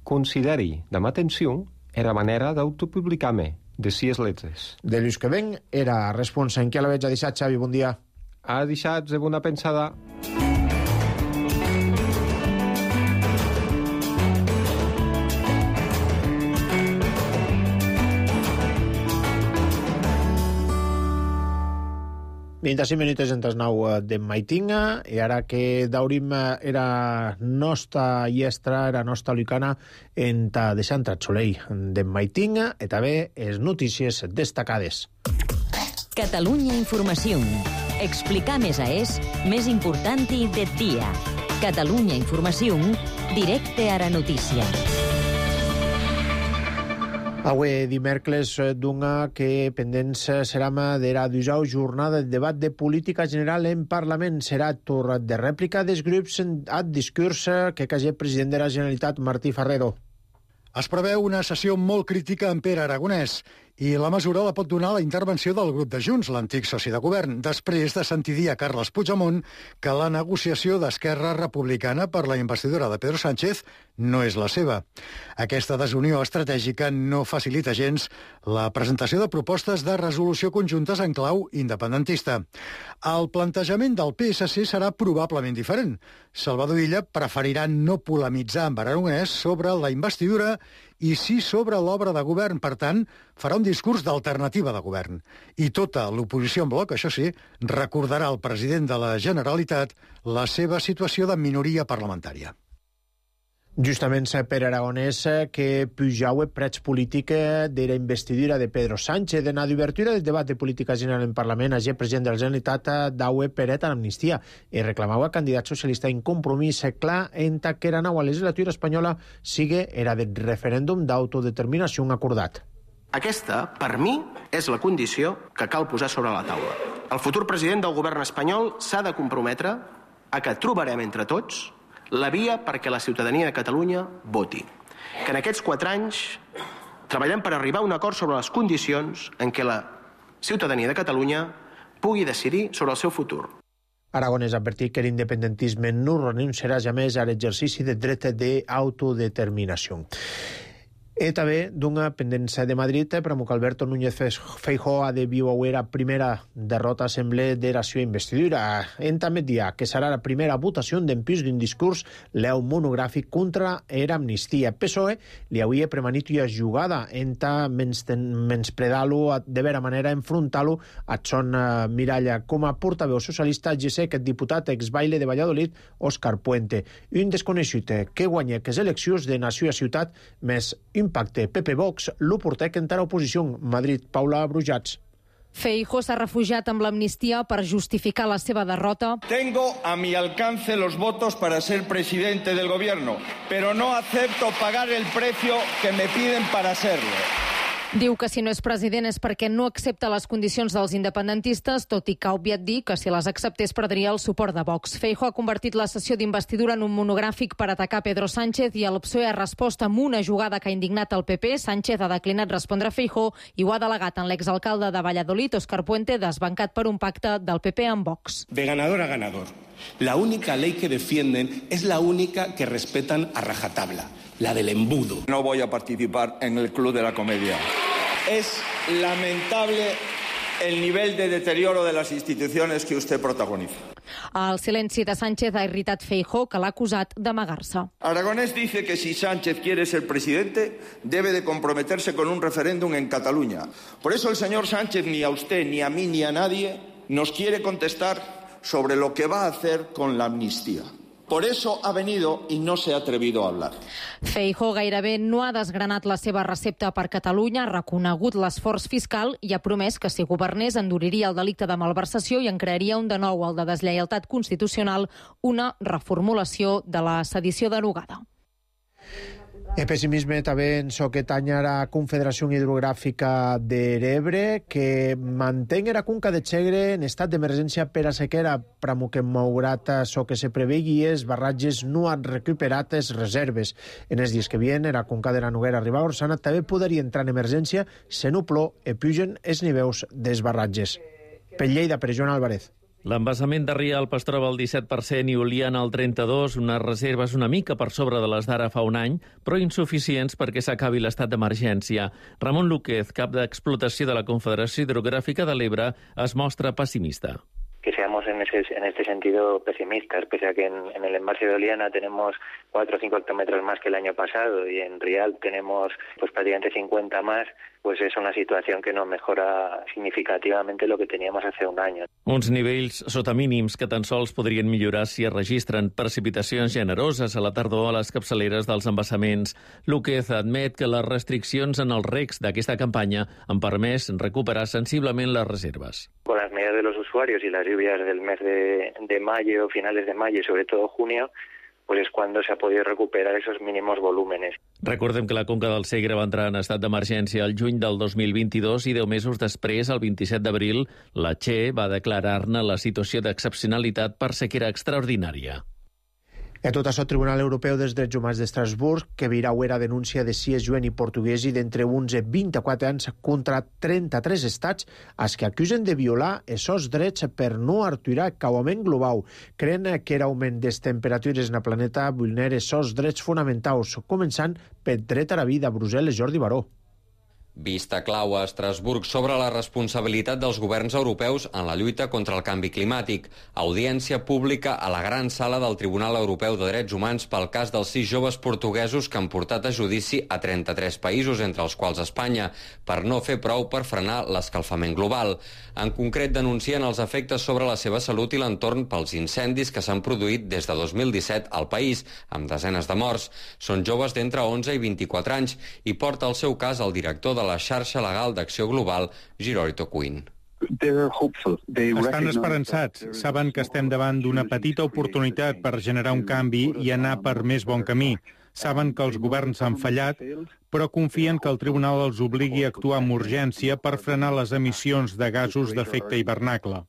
consideri de atenció era manera d'autopublicar-me, de sis letres. De Lluís Queven era responsable. En què la veig? Ha deixat, Xavi? Bon dia. Ha deixat de bona pensada. vint-i-cinc minuts entre nou de Maitinga, i ara que daurim era nostra iestra, era nostra lucana, en ta de Sant Soleil de Maitinga, i també les notícies destacades. Catalunya Informació. Explicar més a és més important del dia. Catalunya Informació, directe a la notícia. Avui dimecres d'una que pendents serà d'era dusau jornada de debat de política general en Parlament. Serà torn de rèplica dels grups ad discurs que cagé president de la Generalitat, Martí Ferrero. Es preveu una sessió molt crítica en Pere Aragonès i la mesura la pot donar la intervenció del grup de Junts, l'antic soci de govern, després de sentir dir a Carles Puigdemont que la negociació d'Esquerra Republicana per la investidura de Pedro Sánchez no és la seva. Aquesta desunió estratègica no facilita gens la presentació de propostes de resolució conjuntes en clau independentista. El plantejament del P S C serà probablement diferent. Salvador Illa preferirà no polemitzar amb Aragonès sobre la investidura i sí sobre l'obra de govern. Per tant, farà un discurs d'alternativa de govern. I tota l'oposició en bloc, això sí, recordarà al president de la Generalitat la seva situació de minoria parlamentària. Justament per Aragonès que pujaue preig política de la investidura de Pedro Sánchez. En la d'obertura del debat de política general en Parlament, el president de la Generalitat daue peret a l'amnistia i reclamava candidat socialista en compromís clar en ta que la nova legislatura espanyola sigue era del referèndum d'autodeterminació acordat. Aquesta, per mi, és la condició que cal posar sobre la taula. El futur president del govern espanyol s'ha de comprometre a que trobarem entre tots la via perquè la ciutadania de Catalunya voti. Que en aquests quatre anys treballem per arribar a un acord sobre les condicions en què la ciutadania de Catalunya pugui decidir sobre el seu futur. Aragonès ha advertit que l'independentisme no renunciarà jamais a l'exercici del dret d'autodeterminació. I també d'una pendència de Madrid, per a Alberto Núñez Feijóo ha de viure la primera derrota assemblea de la seva investidura. En també dia que serà la primera votació d'empís d'un discurs leu monogràfic contra era amnistia. P S O E li hauria premanit una jugada en ta menspredar-lo, de vera manera enfrontar-lo a son miralla. Com a portaveu socialista, ja sé que el diputat exbaile de Valladolid, Òscar Puente, un desconegut que guanya que les eleccions de nació a ciutat més impacte P P Vox, lo portec encara oposició. Madrid, Paula Brujats. Feijóo s'ha refugiat amb l'amnistia per justificar la seva derrota. Tengo a mi alcance los votos para ser presidente del gobierno, pero no acepto pagar el precio que me piden para serlo. Diu que si no és president és perquè no accepta les condicions dels independentistes, tot i que ha obviat dir que si les acceptés perdria el suport de Vox. Feijóo ha convertit la sessió d'investidura en un monogràfic per atacar Pedro Sánchez i el P S O E ha respost amb una jugada que ha indignat el P P. Sánchez ha declinat respondre a Feijóo i ho ha delegat en l'exalcalde de Valladolid, Òscar Puente, desbancat per un pacte del P P amb Vox. De ganador a ganador. La única ley que defienden es la única que respetan a rajatabla, la del embudo. No voy a participar en el club de la comedia. Es lamentable el nivel de deterioro de las instituciones que usted protagoniza. El silenci de Sánchez ha irritat Feijóo, que l'ha acusat d'amagar-se. Aragonès dice que si Sánchez quiere ser presidente, debe de comprometerse con un referéndum en Cataluña. Por eso el señor Sánchez ni a usted, ni a mí, ni a nadie nos quiere contestar sobre lo que va a hacer con la amnistía. Por eso ha venido y no se ha atrevido a hablar. Feijóo gairebé no ha desgranat la seva recepta per Catalunya, ha reconegut l'esforç fiscal i ha promès que si governés enduriria el delicte de malversació i en crearia un de nou, el de deslleialtat constitucional, una reformulació de la sedició derogada. El pessimisme també en so que tanya la Confederació Hidrogràfica de l'Ebre, que mantén la conca de Segre en estat d'emergència per a sequera, però que malgrat so que se prevegui els barratges no han recuperat les reserves. En els dies que vienen, la conca de la Noguera arriba a Orsana també podria entrar en emergència se no plou i pugen els nivells dels barratges. Per Lleida, per Joan Álvarez. L'embassament de Rialp es troba al disset per cent i Oliana al trenta-dos per cent, unes reserves una mica per sobre de les d'ara fa un any, però insuficients perquè s'acabi l'estat d'emergència. Ramon Lúquez, cap d'explotació de la Confederació Hidrográfica de l'Ebre, es mostra pessimista. Que seamos en, ese, en este sentido pesimistas, pese a que en, en el embalse de Oliana tenemos cuatro o cinco hectómetros más que el año pasado y en Rialp tenemos pues prácticamente cincuenta más, pues es una situación que no mejora significativamente lo que teníamos hace un año. Uns nivells sota mínims que tan sols podrien millorar si es registren precipitacions generoses a la tardor a les capçaleres dels embassaments. Lúquez admet que les restriccions en els recs d'aquesta campanya han permès recuperar sensiblement les reserves. Con las medidas de los usuarios y las lluvias del mes de, de mayo, finales de mayo y sobre todo junio, pues es cuando se ha podido recuperar esos mínimos volúmenes. Recordem que la Conca del Segre va entrar en estat d'emergència el juny del dos mil vint-i-dos i deu mesos després, el vint-i-set d'abril, la Che va declarar-ne la situació d'excepcionalitat per sequera extraordinària. A tot això, el Tribunal Europeu dels Drets Humans d'Estrasburg, que virau era denúncia de sis jueni portuguesi d'entre onze i vint-i-quatre anys contra trenta-tres estats els que acusen de violar aquests drets per no aturar cauament global. Creen que l'augment de les temperatures en el planeta vulnera aquests drets fonamentals, començant pel dret a la vida. A Brussel·les, Jordi Baró. Vista clau a Estrasburg sobre la responsabilitat dels governs europeus en la lluita contra el canvi climàtic. Audiència pública a la gran sala del Tribunal Europeu de Drets Humans pel cas dels sis joves portuguesos que han portat a judici a trenta-tres països, entre els quals Espanya, per no fer prou per frenar l'escalfament global. En concret, denuncien els efectes sobre la seva salut i l'entorn pels incendis que s'han produït des de dos mil disset al país, amb desenes de morts. Són joves d'entre onze i vint-i-quatre anys i porta el seu cas el director de la xarxa legal d'acció global, Girolito Quinn. Estan esperançats. Saben que estem davant d'una petita oportunitat per generar un canvi i anar per més bon camí. Saben que els governs han fallat, però confien que el tribunal els obligui a actuar amb urgència per frenar les emissions de gasos d'efecte hivernacle.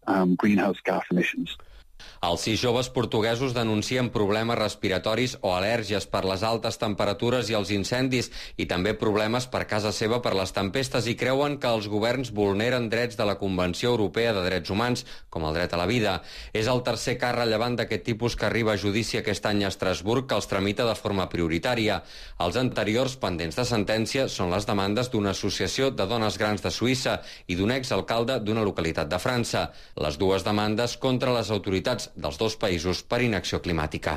Els sis joves portuguesos denuncien problemes respiratoris o al·lèrgies per les altes temperatures i els incendis i també problemes per casa seva per les tempestes i creuen que els governs vulneren drets de la Convenció Europea de Drets Humans, com el dret a la vida. És el tercer cas rellevant d'aquest tipus que arriba a judici aquest any a Estrasburg, que els tramita de forma prioritària. Els anteriors pendents de sentència són les demandes d'una associació de dones grans de Suïssa i d'un exalcalde d'una localitat de França. Les dues demandes contra les autoritats dels dos països per inacció climàtica.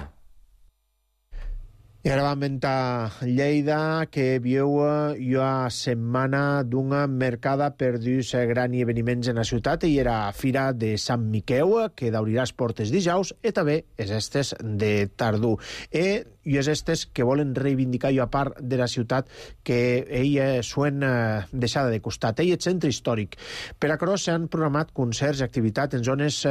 I ara vam ventar Lleida, que viu una setmana d'una mercada per dus grans esdeveniments en la ciutat, i era Fira de Sant Miqueu, que d'obrirà les portes dijous, i també és estes de Tardú. I i és estes que volen reivindicar una part de la ciutat que ell suen deixada de costat. Ell és centre històric. Per a això s'han programat concerts i activitats en zones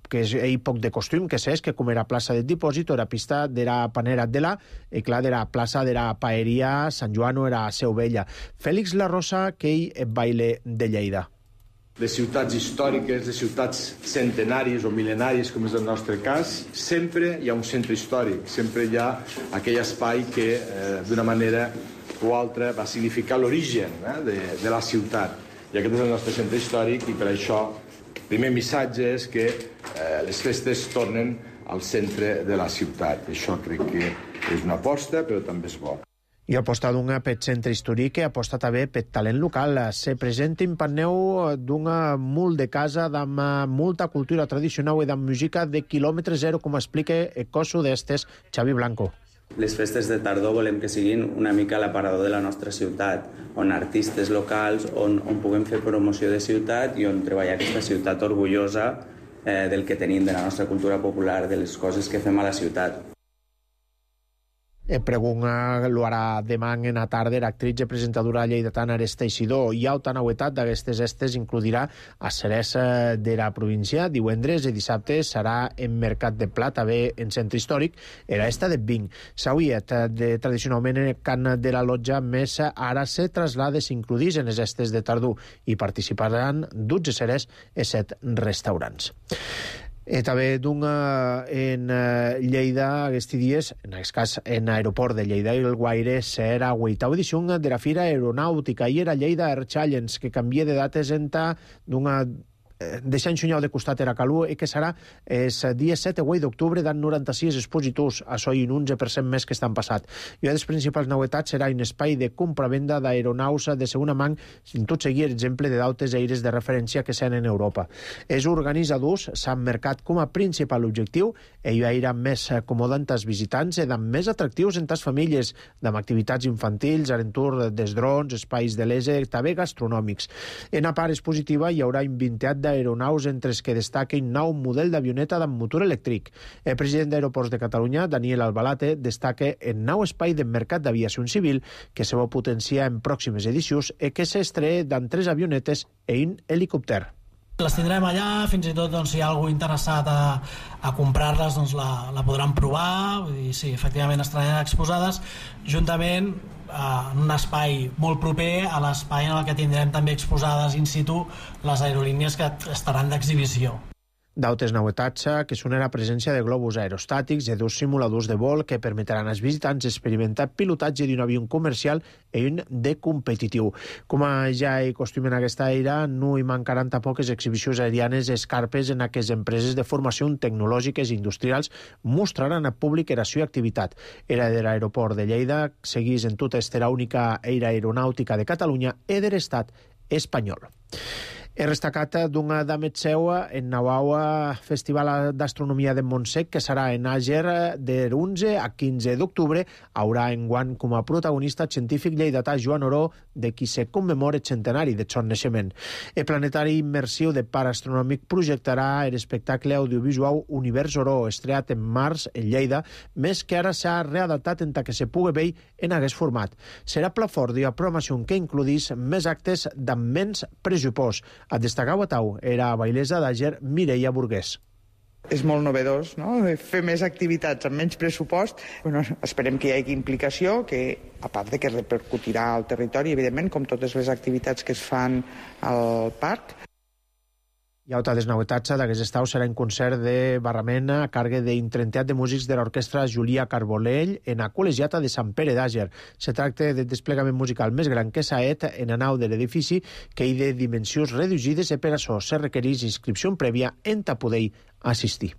que és ell poc de costum, que s'és, que com era plaça del dipòsit, o era pista de la panera de la, i clar, de la plaça de la paeria Sant Joan o era Seu Vella. Fèlix La Rosa, que ell baile de Lleida. De ciutats històriques, de ciutats centenàries o mil·lenàries, com és el nostre cas, sempre hi ha un centre històric, sempre hi ha aquell espai que, eh, d'una manera o altra, va significar l'origen eh, de, de la ciutat. I aquest és el nostre centre històric, i per això el primer missatge és que eh, les festes tornen al centre de la ciutat. Això crec que és una aposta, però també és bo. I aposta d'una per centre històric i aposta també per talent local. Se presenta en Panneu d'una mult de casa amb molta cultura tradicional i amb música de quilòmetre zero, com explica el coso d'estes Xavi Blanco. Les festes de tardor volem que siguin una mica l'aparador de la nostra ciutat, on artistes locals, on, on puguem fer promoció de ciutat i on treballar aquesta ciutat orgullosa eh, del que tenim, de la nostra cultura popular, de les coses que fem a la ciutat. Pregunta lo harà demà en la tarda l'actriz i presentadora lleidatana Ares Teixidor. I alta novetat d'aquestes estes includirà a Ceres de la província. Divendres i dissabte serà en Mercat de Pla, també en centre històric, era esta de Vinc. Sauiet, de, tradicionalment en el cant de la lotja, més ara se traslada i s'includís en les estes de Tardú i participaran dotze Ceres i set restaurants. I també d'una en Lleida aquests dies, en aquest cas en l'aeroport de Lleida i el Guaire, serà vuitava edició de la Fira Aeronàutica i era Lleida Air Challenge, que canvia de dates entre d'una deixant xunyau de costat era calor i que serà el dia set i vuit d'octubre dan noranta-sis expositors, això i un onze per cent més que estan passat. I una de les principals novetats serà un espai de compra-venda d'aeronaus de segona mà, sin tot seguir exemple de dautes aires de referència que s'han en Europa. Els organitzadors s'han marcat com a principal objectiu i hi haurà més acomodant als visitants i més atractius entre les famílies, amb activitats infantils, arentur dels drons, espais de l'ese, també gastronòmics. En la part expositiva hi haurà un vintiat de aeronaus entre els que destaquen nou model d'avioneta amb motor elèctric. El president d'Aeroports de Catalunya, Daniel Albalate, destaca el nou espai de mercat d'aviació civil que se va potenciar en pròximes edicions i que s'estrena amb tres avionetes i un helicòpter. Les tindrem allà, fins i tot doncs, si hi ha algú interessat a, a comprar-les doncs, la, la podran provar, i sí, efectivament estaran exposades juntament en un espai molt proper a l'espai en el que tindrem també exposades in situ les aerolínies que estaran d'exhibició. D'altres novetats que són la presència de globus aerostàtics i dos simuladors de vol que permetran als visitants experimentar pilotatge d'un avió comercial i un de competitiu. Com ja hi costum en aquesta era, no hi mancaran tampoc exhibicions aerianes escarpes en aquestes empreses de formació tecnològiques i industrials mostraran al públic la seva activitat. Era de l'aeroport de Lleida, seguís en tota esta única era aeronàutica de Catalunya i de l'estat espanyol. He destacat d'una de Metseua en Naua Festival d'Astronomia de Montsec, que serà en Àger de onze a quinze d'octubre. Haurà enguany com a protagonista científic lleidatà Joan Oró, de qui se commemora el centenari de son naixement. El planetari immersiu de Parc Astronòmic projectarà l'espectacle audiovisual Univers Oró, estreat en març en Lleida, més que ara s'ha readaptat en que se pugui veure en aquest format. Serà pla fort i a programació que includís més actes d'amb menys pressupost. A destacar a Tau era a bailesa d'Àger Mireia Burgués. És molt novedós, no?, fer més activitats amb menys pressupost. Bueno, esperem que hi hagi implicació, que a part de que repercutirà al territori, evidentment, com totes les activitats que es fan al parc. Hi ha altres novetats d'aquest estau serà un concert de barramena a càrrec d'un trentiat de músics de l'orquestra Julia Carbolell en la col·legiata de Sant Pere d'Àger. Se tracta del desplegament musical més gran que s'ha fet en la nau de l'edifici, que hi de dimensions reduïdes i per això se requereix inscripció prèvia en ta poder assistir.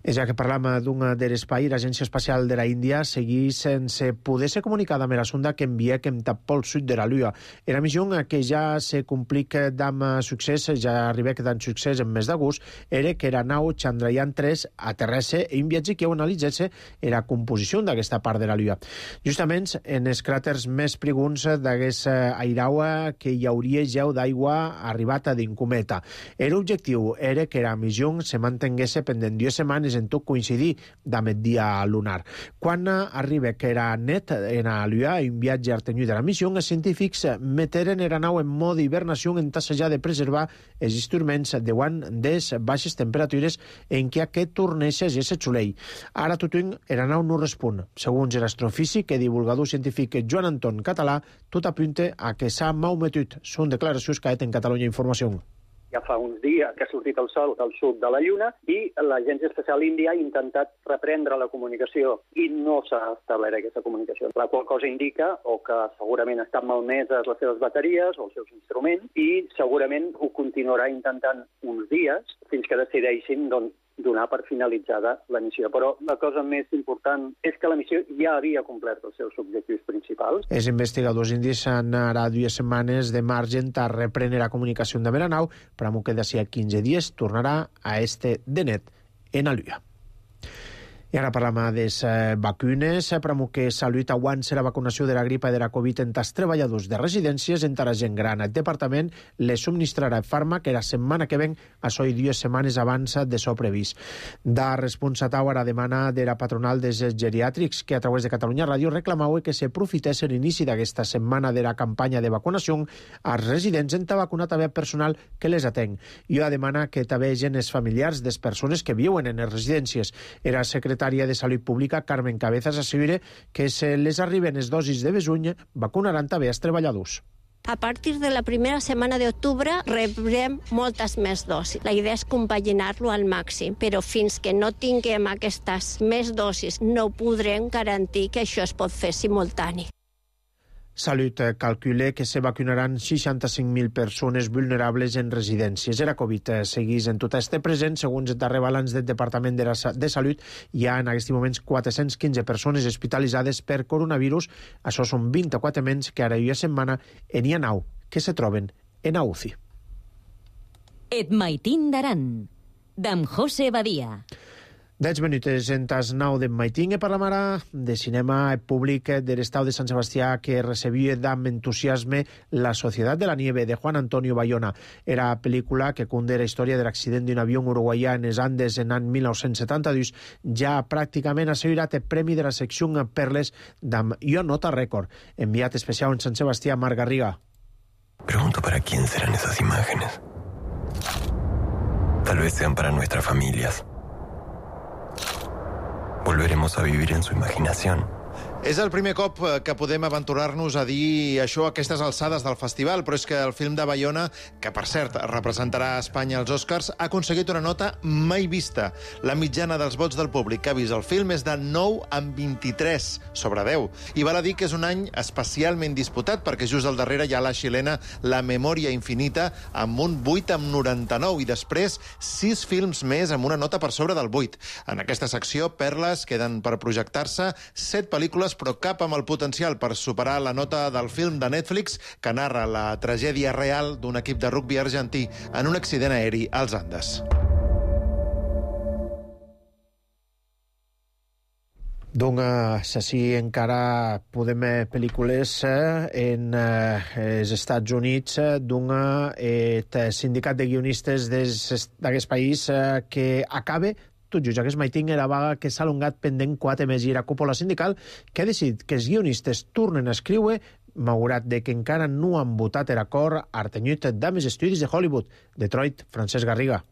Ja que parlam d'un de l'espai, l'Agència Espacial de la Índia segueix sense poder-se comunicar amb la sonda que envia que em tap pel sud de la Lluna. Era missió que ja se complica d'am succés, ja arriba que dan succés en mes d'agost, era que la nau Chandrayaan tres aterresse i un viatge que ho analitzesse la composició d'aquesta part de la Lluna. Justament en els cràters més preguns d'aquesta airaua que hi hauria gel d'aigua arribat d'un cometa. L'objectiu era que la missió se mantingués pendent dues setmanes en tot coincidir amb el dia lunar. Quan arriba que era net en la Lluna i un viatge artenyut de la missió, els científics meteren la nau en mode hibernació en tassejar de preservar els instruments davant des baixes temperatures en què aquest torneix a ser xulell. Ara tothom la nau no respon. Segons l'astrofísic i divulgador científic Joan Anton Català, tot apunta a que s'ha malmetut. Són declaracions que ha fet en Catalunya Informació. Ja fa uns dies que ha sortit el sol del sud de la Lluna i l'Agència Espacial Índia ha intentat reprendre la comunicació i no s'ha establert aquesta comunicació. La qual cosa indica o que segurament estan malmeses les seves bateries o els seus instruments i segurament ho continuarà intentant uns dies fins que decideixin doncs, donar per finalitzada la missió. Però la cosa més important és que la missió ja havia complert els seus objectius principals. Els investigadors indis han ara dues setmanes de marge a reprendre la comunicació amb la nau, però que d'ací a quinze dies tornarà a este de net en la Lluna. I ara parlam de les vacunes, però que Salut avança la vacunació de la gripa i de la Covid entre els treballadors de residències, entre la gent gran. El departament les subministrarà fàrmac que la setmana que ven, això i dues setmanes abans de so previst. Da responsatau a la demana de la patronal dels geriàtrics, que a través de Catalunya Ràdio reclamava que s'aprofités l'inici d'aquesta setmana de la campanya de vacunació als residents en vacunar també personal que les atén. I a demana que també gent els familiars de les persones que viuen en les residències. Era secretari de Salut Pública, Carmen Cabezas, assegura que se les arriben les dosis de besuny, vacunaran també els treballadors. A partir de la primera setmana d'octubre rebrem moltes més dosis. La idea és compaginar-lo al màxim, però fins que no tinguem aquestes més dosis no podrem garantir que això es pot fer simultani. Salut calcula que se vacunaran seixanta-cinc mil persones vulnerables en residències. Era Covid seguís en tot este present. Segons el darrer balanç del Departament de, la, de Salut, hi ha en aquests moments quatre-cents quinze persones hospitalitzades per coronavirus. Això són vint-i-quatre menys que ara hi ha setmana en hi ha nou que se troben en a U C I. Et maitín d'Aran, d'en José Badia. dez minuts en tas nou de Maitingue parlam ara de cinema públic de l'Estau de Sant Sebastià que recebia amb entusiasme La Societat de la Nieve de Juan Antonio Bayona. Era pel·lícula que conté la història de l'accident d'un avió uruguaià en els Andes en l'any mil nou-cents setanta-dos. Ja pràcticament ha assegurat el premi de la secció Perles d'am Jo Nota Rècord. Enviat especial en Sant Sebastià, Marc Garriga. Pregunto para quién serán esas imágenes. Tal vez sean para nuestras familias. Volveremos a vivir en su imaginación. És el primer cop que podem aventurar-nos a dir això a aquestes alçades del festival, però és que el film de Bayona, que per cert representarà a Espanya als Oscars, ha aconseguit una nota mai vista. La mitjana dels vots del públic que ha vist el film és de nou amb vint-i-tres sobre deu. I val a dir que és un any especialment disputat, perquè just al darrere hi ha la xilena La Memòria Infinita, amb un vuit amb noranta-nou, i després sis films més amb una nota per sobre del vuit. En aquesta secció, Perles, queden per projectar-se set pel·lícules, però cap amb el potencial per superar la nota del film de Netflix que narra la tragèdia real d'un equip de rugbi argentí en un accident aeri als Andes. Doncs així encara podem pel·lícules en els Estats Units d'un sindicat de guionistes d'aquest país que acaba tot just aquest maiting era vaga que s'ha alongat pendent quatre mesos i era cúpula sindical que ha decidit que els guionistes tornen a escriure malgrat de que encara no han votat l'acord artenyut d'Ames Estudis de Hollywood. Detroit, Francesc Garriga.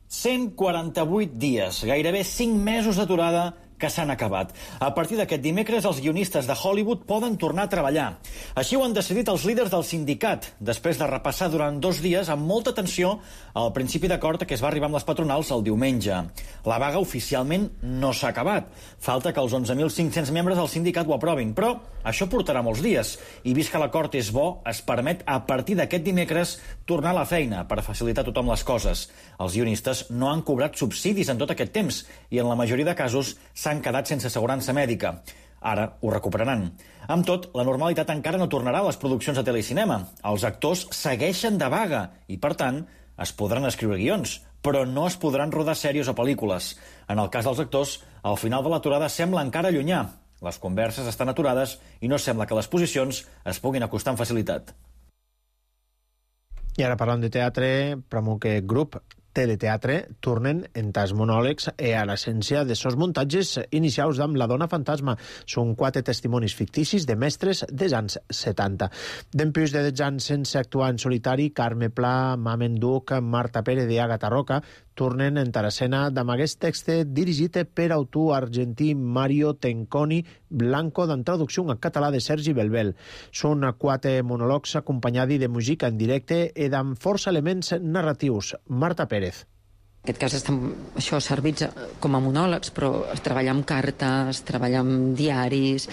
cent quaranta-vuit dies, gairebé cinc mesos d'aturada que s'han acabat. A partir d'aquest dimecres, els guionistes de Hollywood poden tornar a treballar. Així ho han decidit els líders del sindicat, després de repassar durant dos dies amb molta tensió el principi d'acord que es va arribar amb les patronals el diumenge. La vaga oficialment no s'ha acabat. Falta que els onze mil cinc-cents membres del sindicat ho aprovin, però això portarà molts dies. I vist que l'acord és bo, es permet a partir d'aquest dimecres tornar a la feina per facilitar a tothom les coses. Els guionistes no han cobrat subsidis en tot aquest temps i en la majoria de casos s'han quedat sense assegurança mèdica. Ara ho recuperaran. Amb tot, la normalitat encara no tornarà a les produccions de telecinema. Els actors segueixen de vaga i, per tant, es podran escriure guions, però no es podran rodar sèries o pel·lícules. En el cas dels actors, el final de l'aturada sembla encara llunyà. Les converses estan aturades i no sembla que les posicions es puguin acostar amb facilitat. I ara parlant de teatre, promou que grup Teleteatre tornen en tas monòlegs e a l'essència de sos muntatges inicials d'Amb la dona fantasma. Són quatre testimonis ficticis de mestres dels anys setanta. D'empús de dotze anys sense actuar en solitari, Carme Pla, Mamen Duc, Marta Pérez i Àgata Roca tornen en escena amb aquest text dirigit per autor argentí Mario Tenconi Blanco amb traducció en català de Sergi Belbel. Són quatre monòlegs acompanyats de música en directe i amb força elements narratius. Marta Pérez. En aquest cas estan això, servits com a monòlegs, però treballar amb cartes, treballar amb diaris,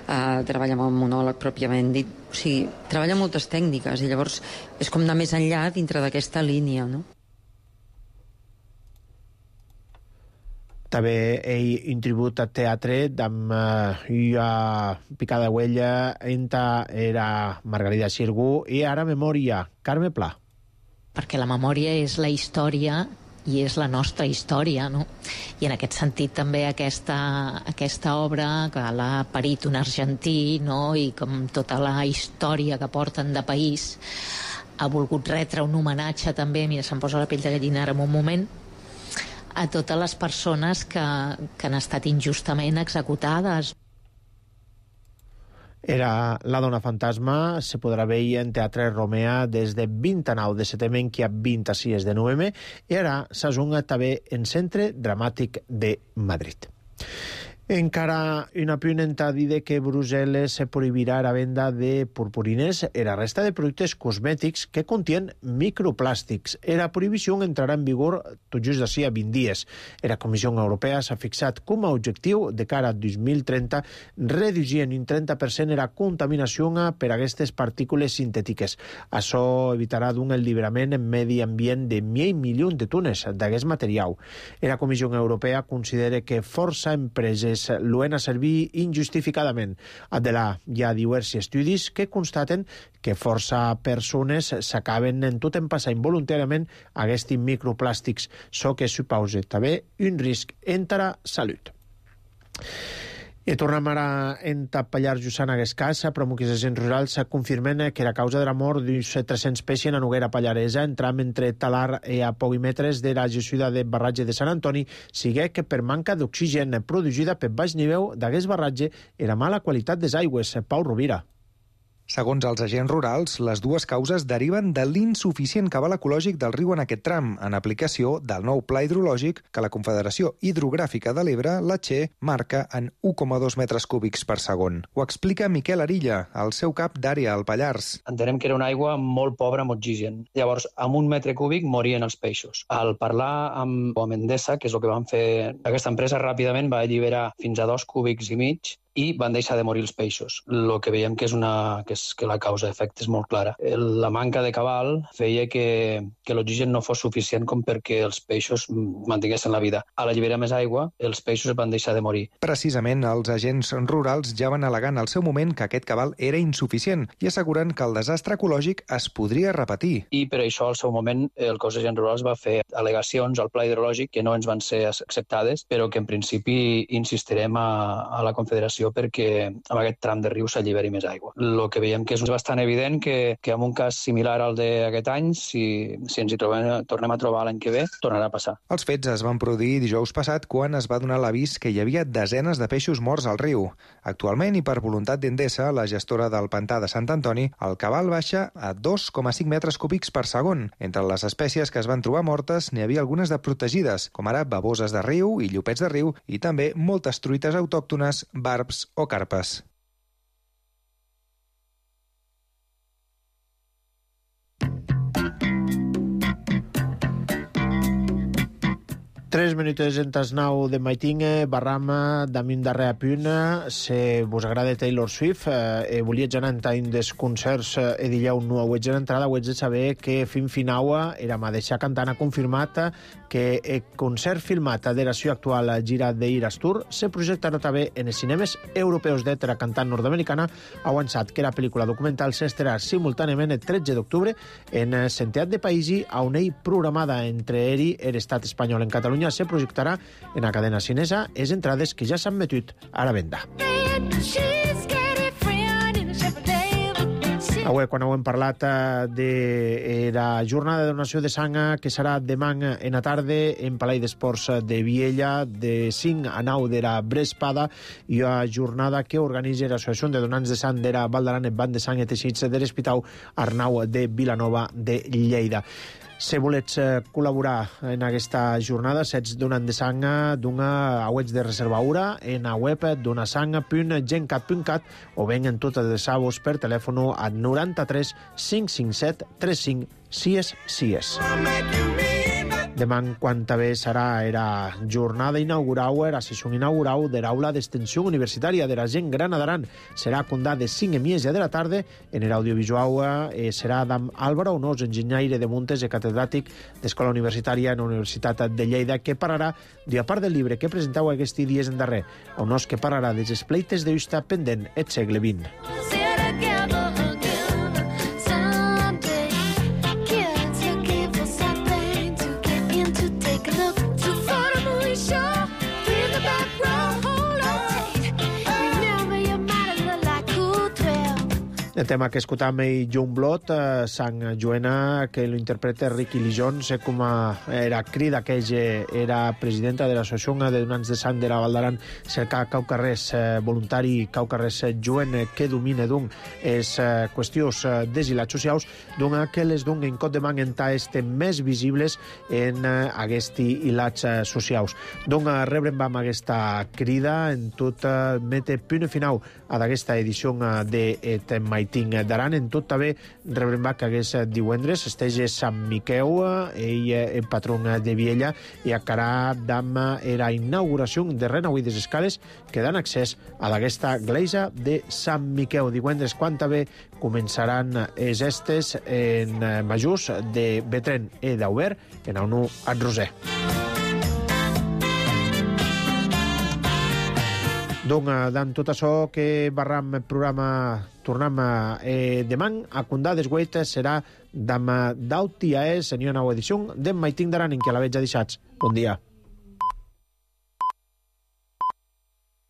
eh, treballar amb el monòleg pròpiament dit. O sigui, treballa moltes tècniques i llavors és com anar més enllà dintre d'aquesta línia, no? També ell intribut a teatre amb una picada huella enta era Margarida Xirgu i ara memòria, Carme Pla. Perquè la memòria és la història i és la nostra història, no? I en aquest sentit també aquesta, aquesta obra que l'ha parit un argentí, no? I com tota la història que porten de país ha volgut retre un homenatge també, mira, se'm posa la pell de gallina ara en un moment, a totes les persones que, que han estat injustament executades. Era La dona fantasma, se podrà veure en Teatre Romea des de vint-i-nou de setembre que a vint-i-sis de novembre i ara s'ajunga també en Centre Dramàtic de Madrid. Encara un apunt en dir que Brussel·les prohibirà la venda de purpurines i la resta de productes cosmètics que contien microplàstics. La prohibició entrarà en vigor tot just d'ací a vint dies. La Comissió Europea s'ha fixat com a objectiu de cara a dos mil trenta reduir en un trenta per cent la contaminació per aquestes partícules sintètiques. Això evitarà d'un alliberament en medi ambient de mig milió de tones d'aquest material. La Comissió Europea considera que força empreses l'han a servir injustificadament. Adelà, hi ha diversos estudis que constaten que força persones s'acaben en tot en passar involuntàriament aquests microplàstics, so que suposa també un risc entre la salut. I tornem ara a entapallar Jusana Guescàs, però molts agents rurals confirmen que la causa de la mort d'uns tres-cents peixos en la Noguera Pallaresa, entram entre Talar i a pocs metres de la gessuda de barratge de Sant Antoni, sigui que per manca d'oxigen producida per baix nivell d'aquest barratge i la mala qualitat des aigües. Pau Rovira. Segons els agents rurals, les dues causes deriven de l'insuficient cabal ecològic del riu en aquest tram, en aplicació del nou pla hidrològic que la Confederació Hidrogràfica de l'Ebre, la Che, marca en un coma dos metres cúbics per segon. Ho explica Miquel Arilla, el seu cap d'àrea al Pallars. Entenem que era una aigua molt pobra amb oxigen. Llavors, amb un metre cúbic morien els peixos. Al parlar amb Endesa, que és el que van fer aquesta empresa, ràpidament va alliberar fins a dos cúbics i mig i van deixar de morir els peixos. El que veiem que és, una, que és que la causa d'efecte és molt clara. La manca de cabal feia que, que l'oxigen no fos suficient com perquè els peixos mantinguessin la vida. A l'alliberar més aigua, els peixos van deixar de morir. Precisament, els agents rurals ja van al·legant al seu moment que aquest cabal era insuficient i asseguren que el desastre ecològic es podria repetir. I per això, al seu moment, el cos d'agents rurals va fer al·legacions al pla hidrològic que no ens van ser acceptades, però que en principi insistirem a, a la Confederació perquè amb aquest tram de riu s'alliberi més aigua. El que veiem que és bastant evident que, que en un cas similar al d'aquest any, si, si ens hi trobem, tornem a trobar l'any que ve, tornarà a passar. Els fets es van produir dijous passat quan es va donar l'avís que hi havia desenes de peixos morts al riu. Actualment, i per voluntat d'Endesa, la gestora del pantà de Sant Antoni, el cabal baixa a dos coma cinc metres cúbics per segon. Entre les espècies que es van trobar mortes n'hi havia algunes de protegides, com ara baboses de riu i llupets de riu, i també moltes truites autòctones, barbs o carpes. Tres minuts en tas nou de maitinga, barrama, damunt darrer a puna, si vos agrada Taylor Swift, eh, volia anar en des concerts eh, dillau no ho ets en entrada, ho ets de saber que fin finaua era ma deixar cantant ha confirmat que el concert filmat de la seva actual gira d'Iras Tour se projectarà també en els cinemes europeus de la cantant nord-americana. Ha avançat que la pel·lícula documental s'estarà simultàniament el tretze d'octubre en centenars de països on ell programada entre ell i l'estat espanyol. En Catalunya se projectarà en la cadena cinesa les entrades que ja s'han metut a la venda. Avui, quan heu parlat de la jornada de donació de sang que serà demà en la tarda en Palau d'Esports de Viella de cinc a nou de la Brespada, i una jornada que organitza l'Associació de Donants de Sang de la Val d'Aran, Banc de Sang i Teixits de l'Hospital Arnau de Vilanova de Lleida. Si volets col·laborar en aquesta jornada, sets donant de sang d'una web de reservaura en la web donasang punt gencat punt cat o ben en totes les sabos per telèfon a noranta-tres cinc cinc set tres cinc sis sis. Demà, quan també serà la jornada inaugural, la sessió inaugural de l'aula d'extensió universitària de la gent gran d'Aran. Serà a condar de cinc a mies de la tarda. En l'audiovisual eh, serà d'Am Álvaro Onós, enginyaire de Muntes i catedràtic d'Escola Universitària en la Universitat de Lleida, que parlarà d'una part del llibre que presentau aquests dies en darrer. Onós que parlarà dels espleites de justa pendent el segle vint. El tema que escutam i Youngblood, eh, Sant Joana, que lo interpreta Ricky Lijon, sé com era crida que ella era presidenta de l'associació de donants de sang de la Val d'Aran, cercar caucarrers eh, voluntari, caucarrers joven que domine d'un és eh, qüestions eh, desilats socials, d'un que les d'un en cot de man enta este més visibles en eh, aguesti hilats eh, socials. D'un eh, rebrem vam aquesta crida en tot eh, mete punt final a d'aquesta edició eh, de et Maiting d'Aran. En tot també rebrem va que hagués divendres estege Sant Miqueu, ell el patron de Viella, i acarà d'am era inauguració de renauir des escales que dan accés a d'aquesta gleisa de Sant Miqueu. Divendres, quan també començaran els estes en majors de Betren e d'Auber en el nou at Roser. Donc, dans tot això que barram el programa tornem eh, demà a condar desgueit serà d'am d'Auti a és, en una nova edició d'en Maiting d'Aran, en què la veig a deixats. Bon dia.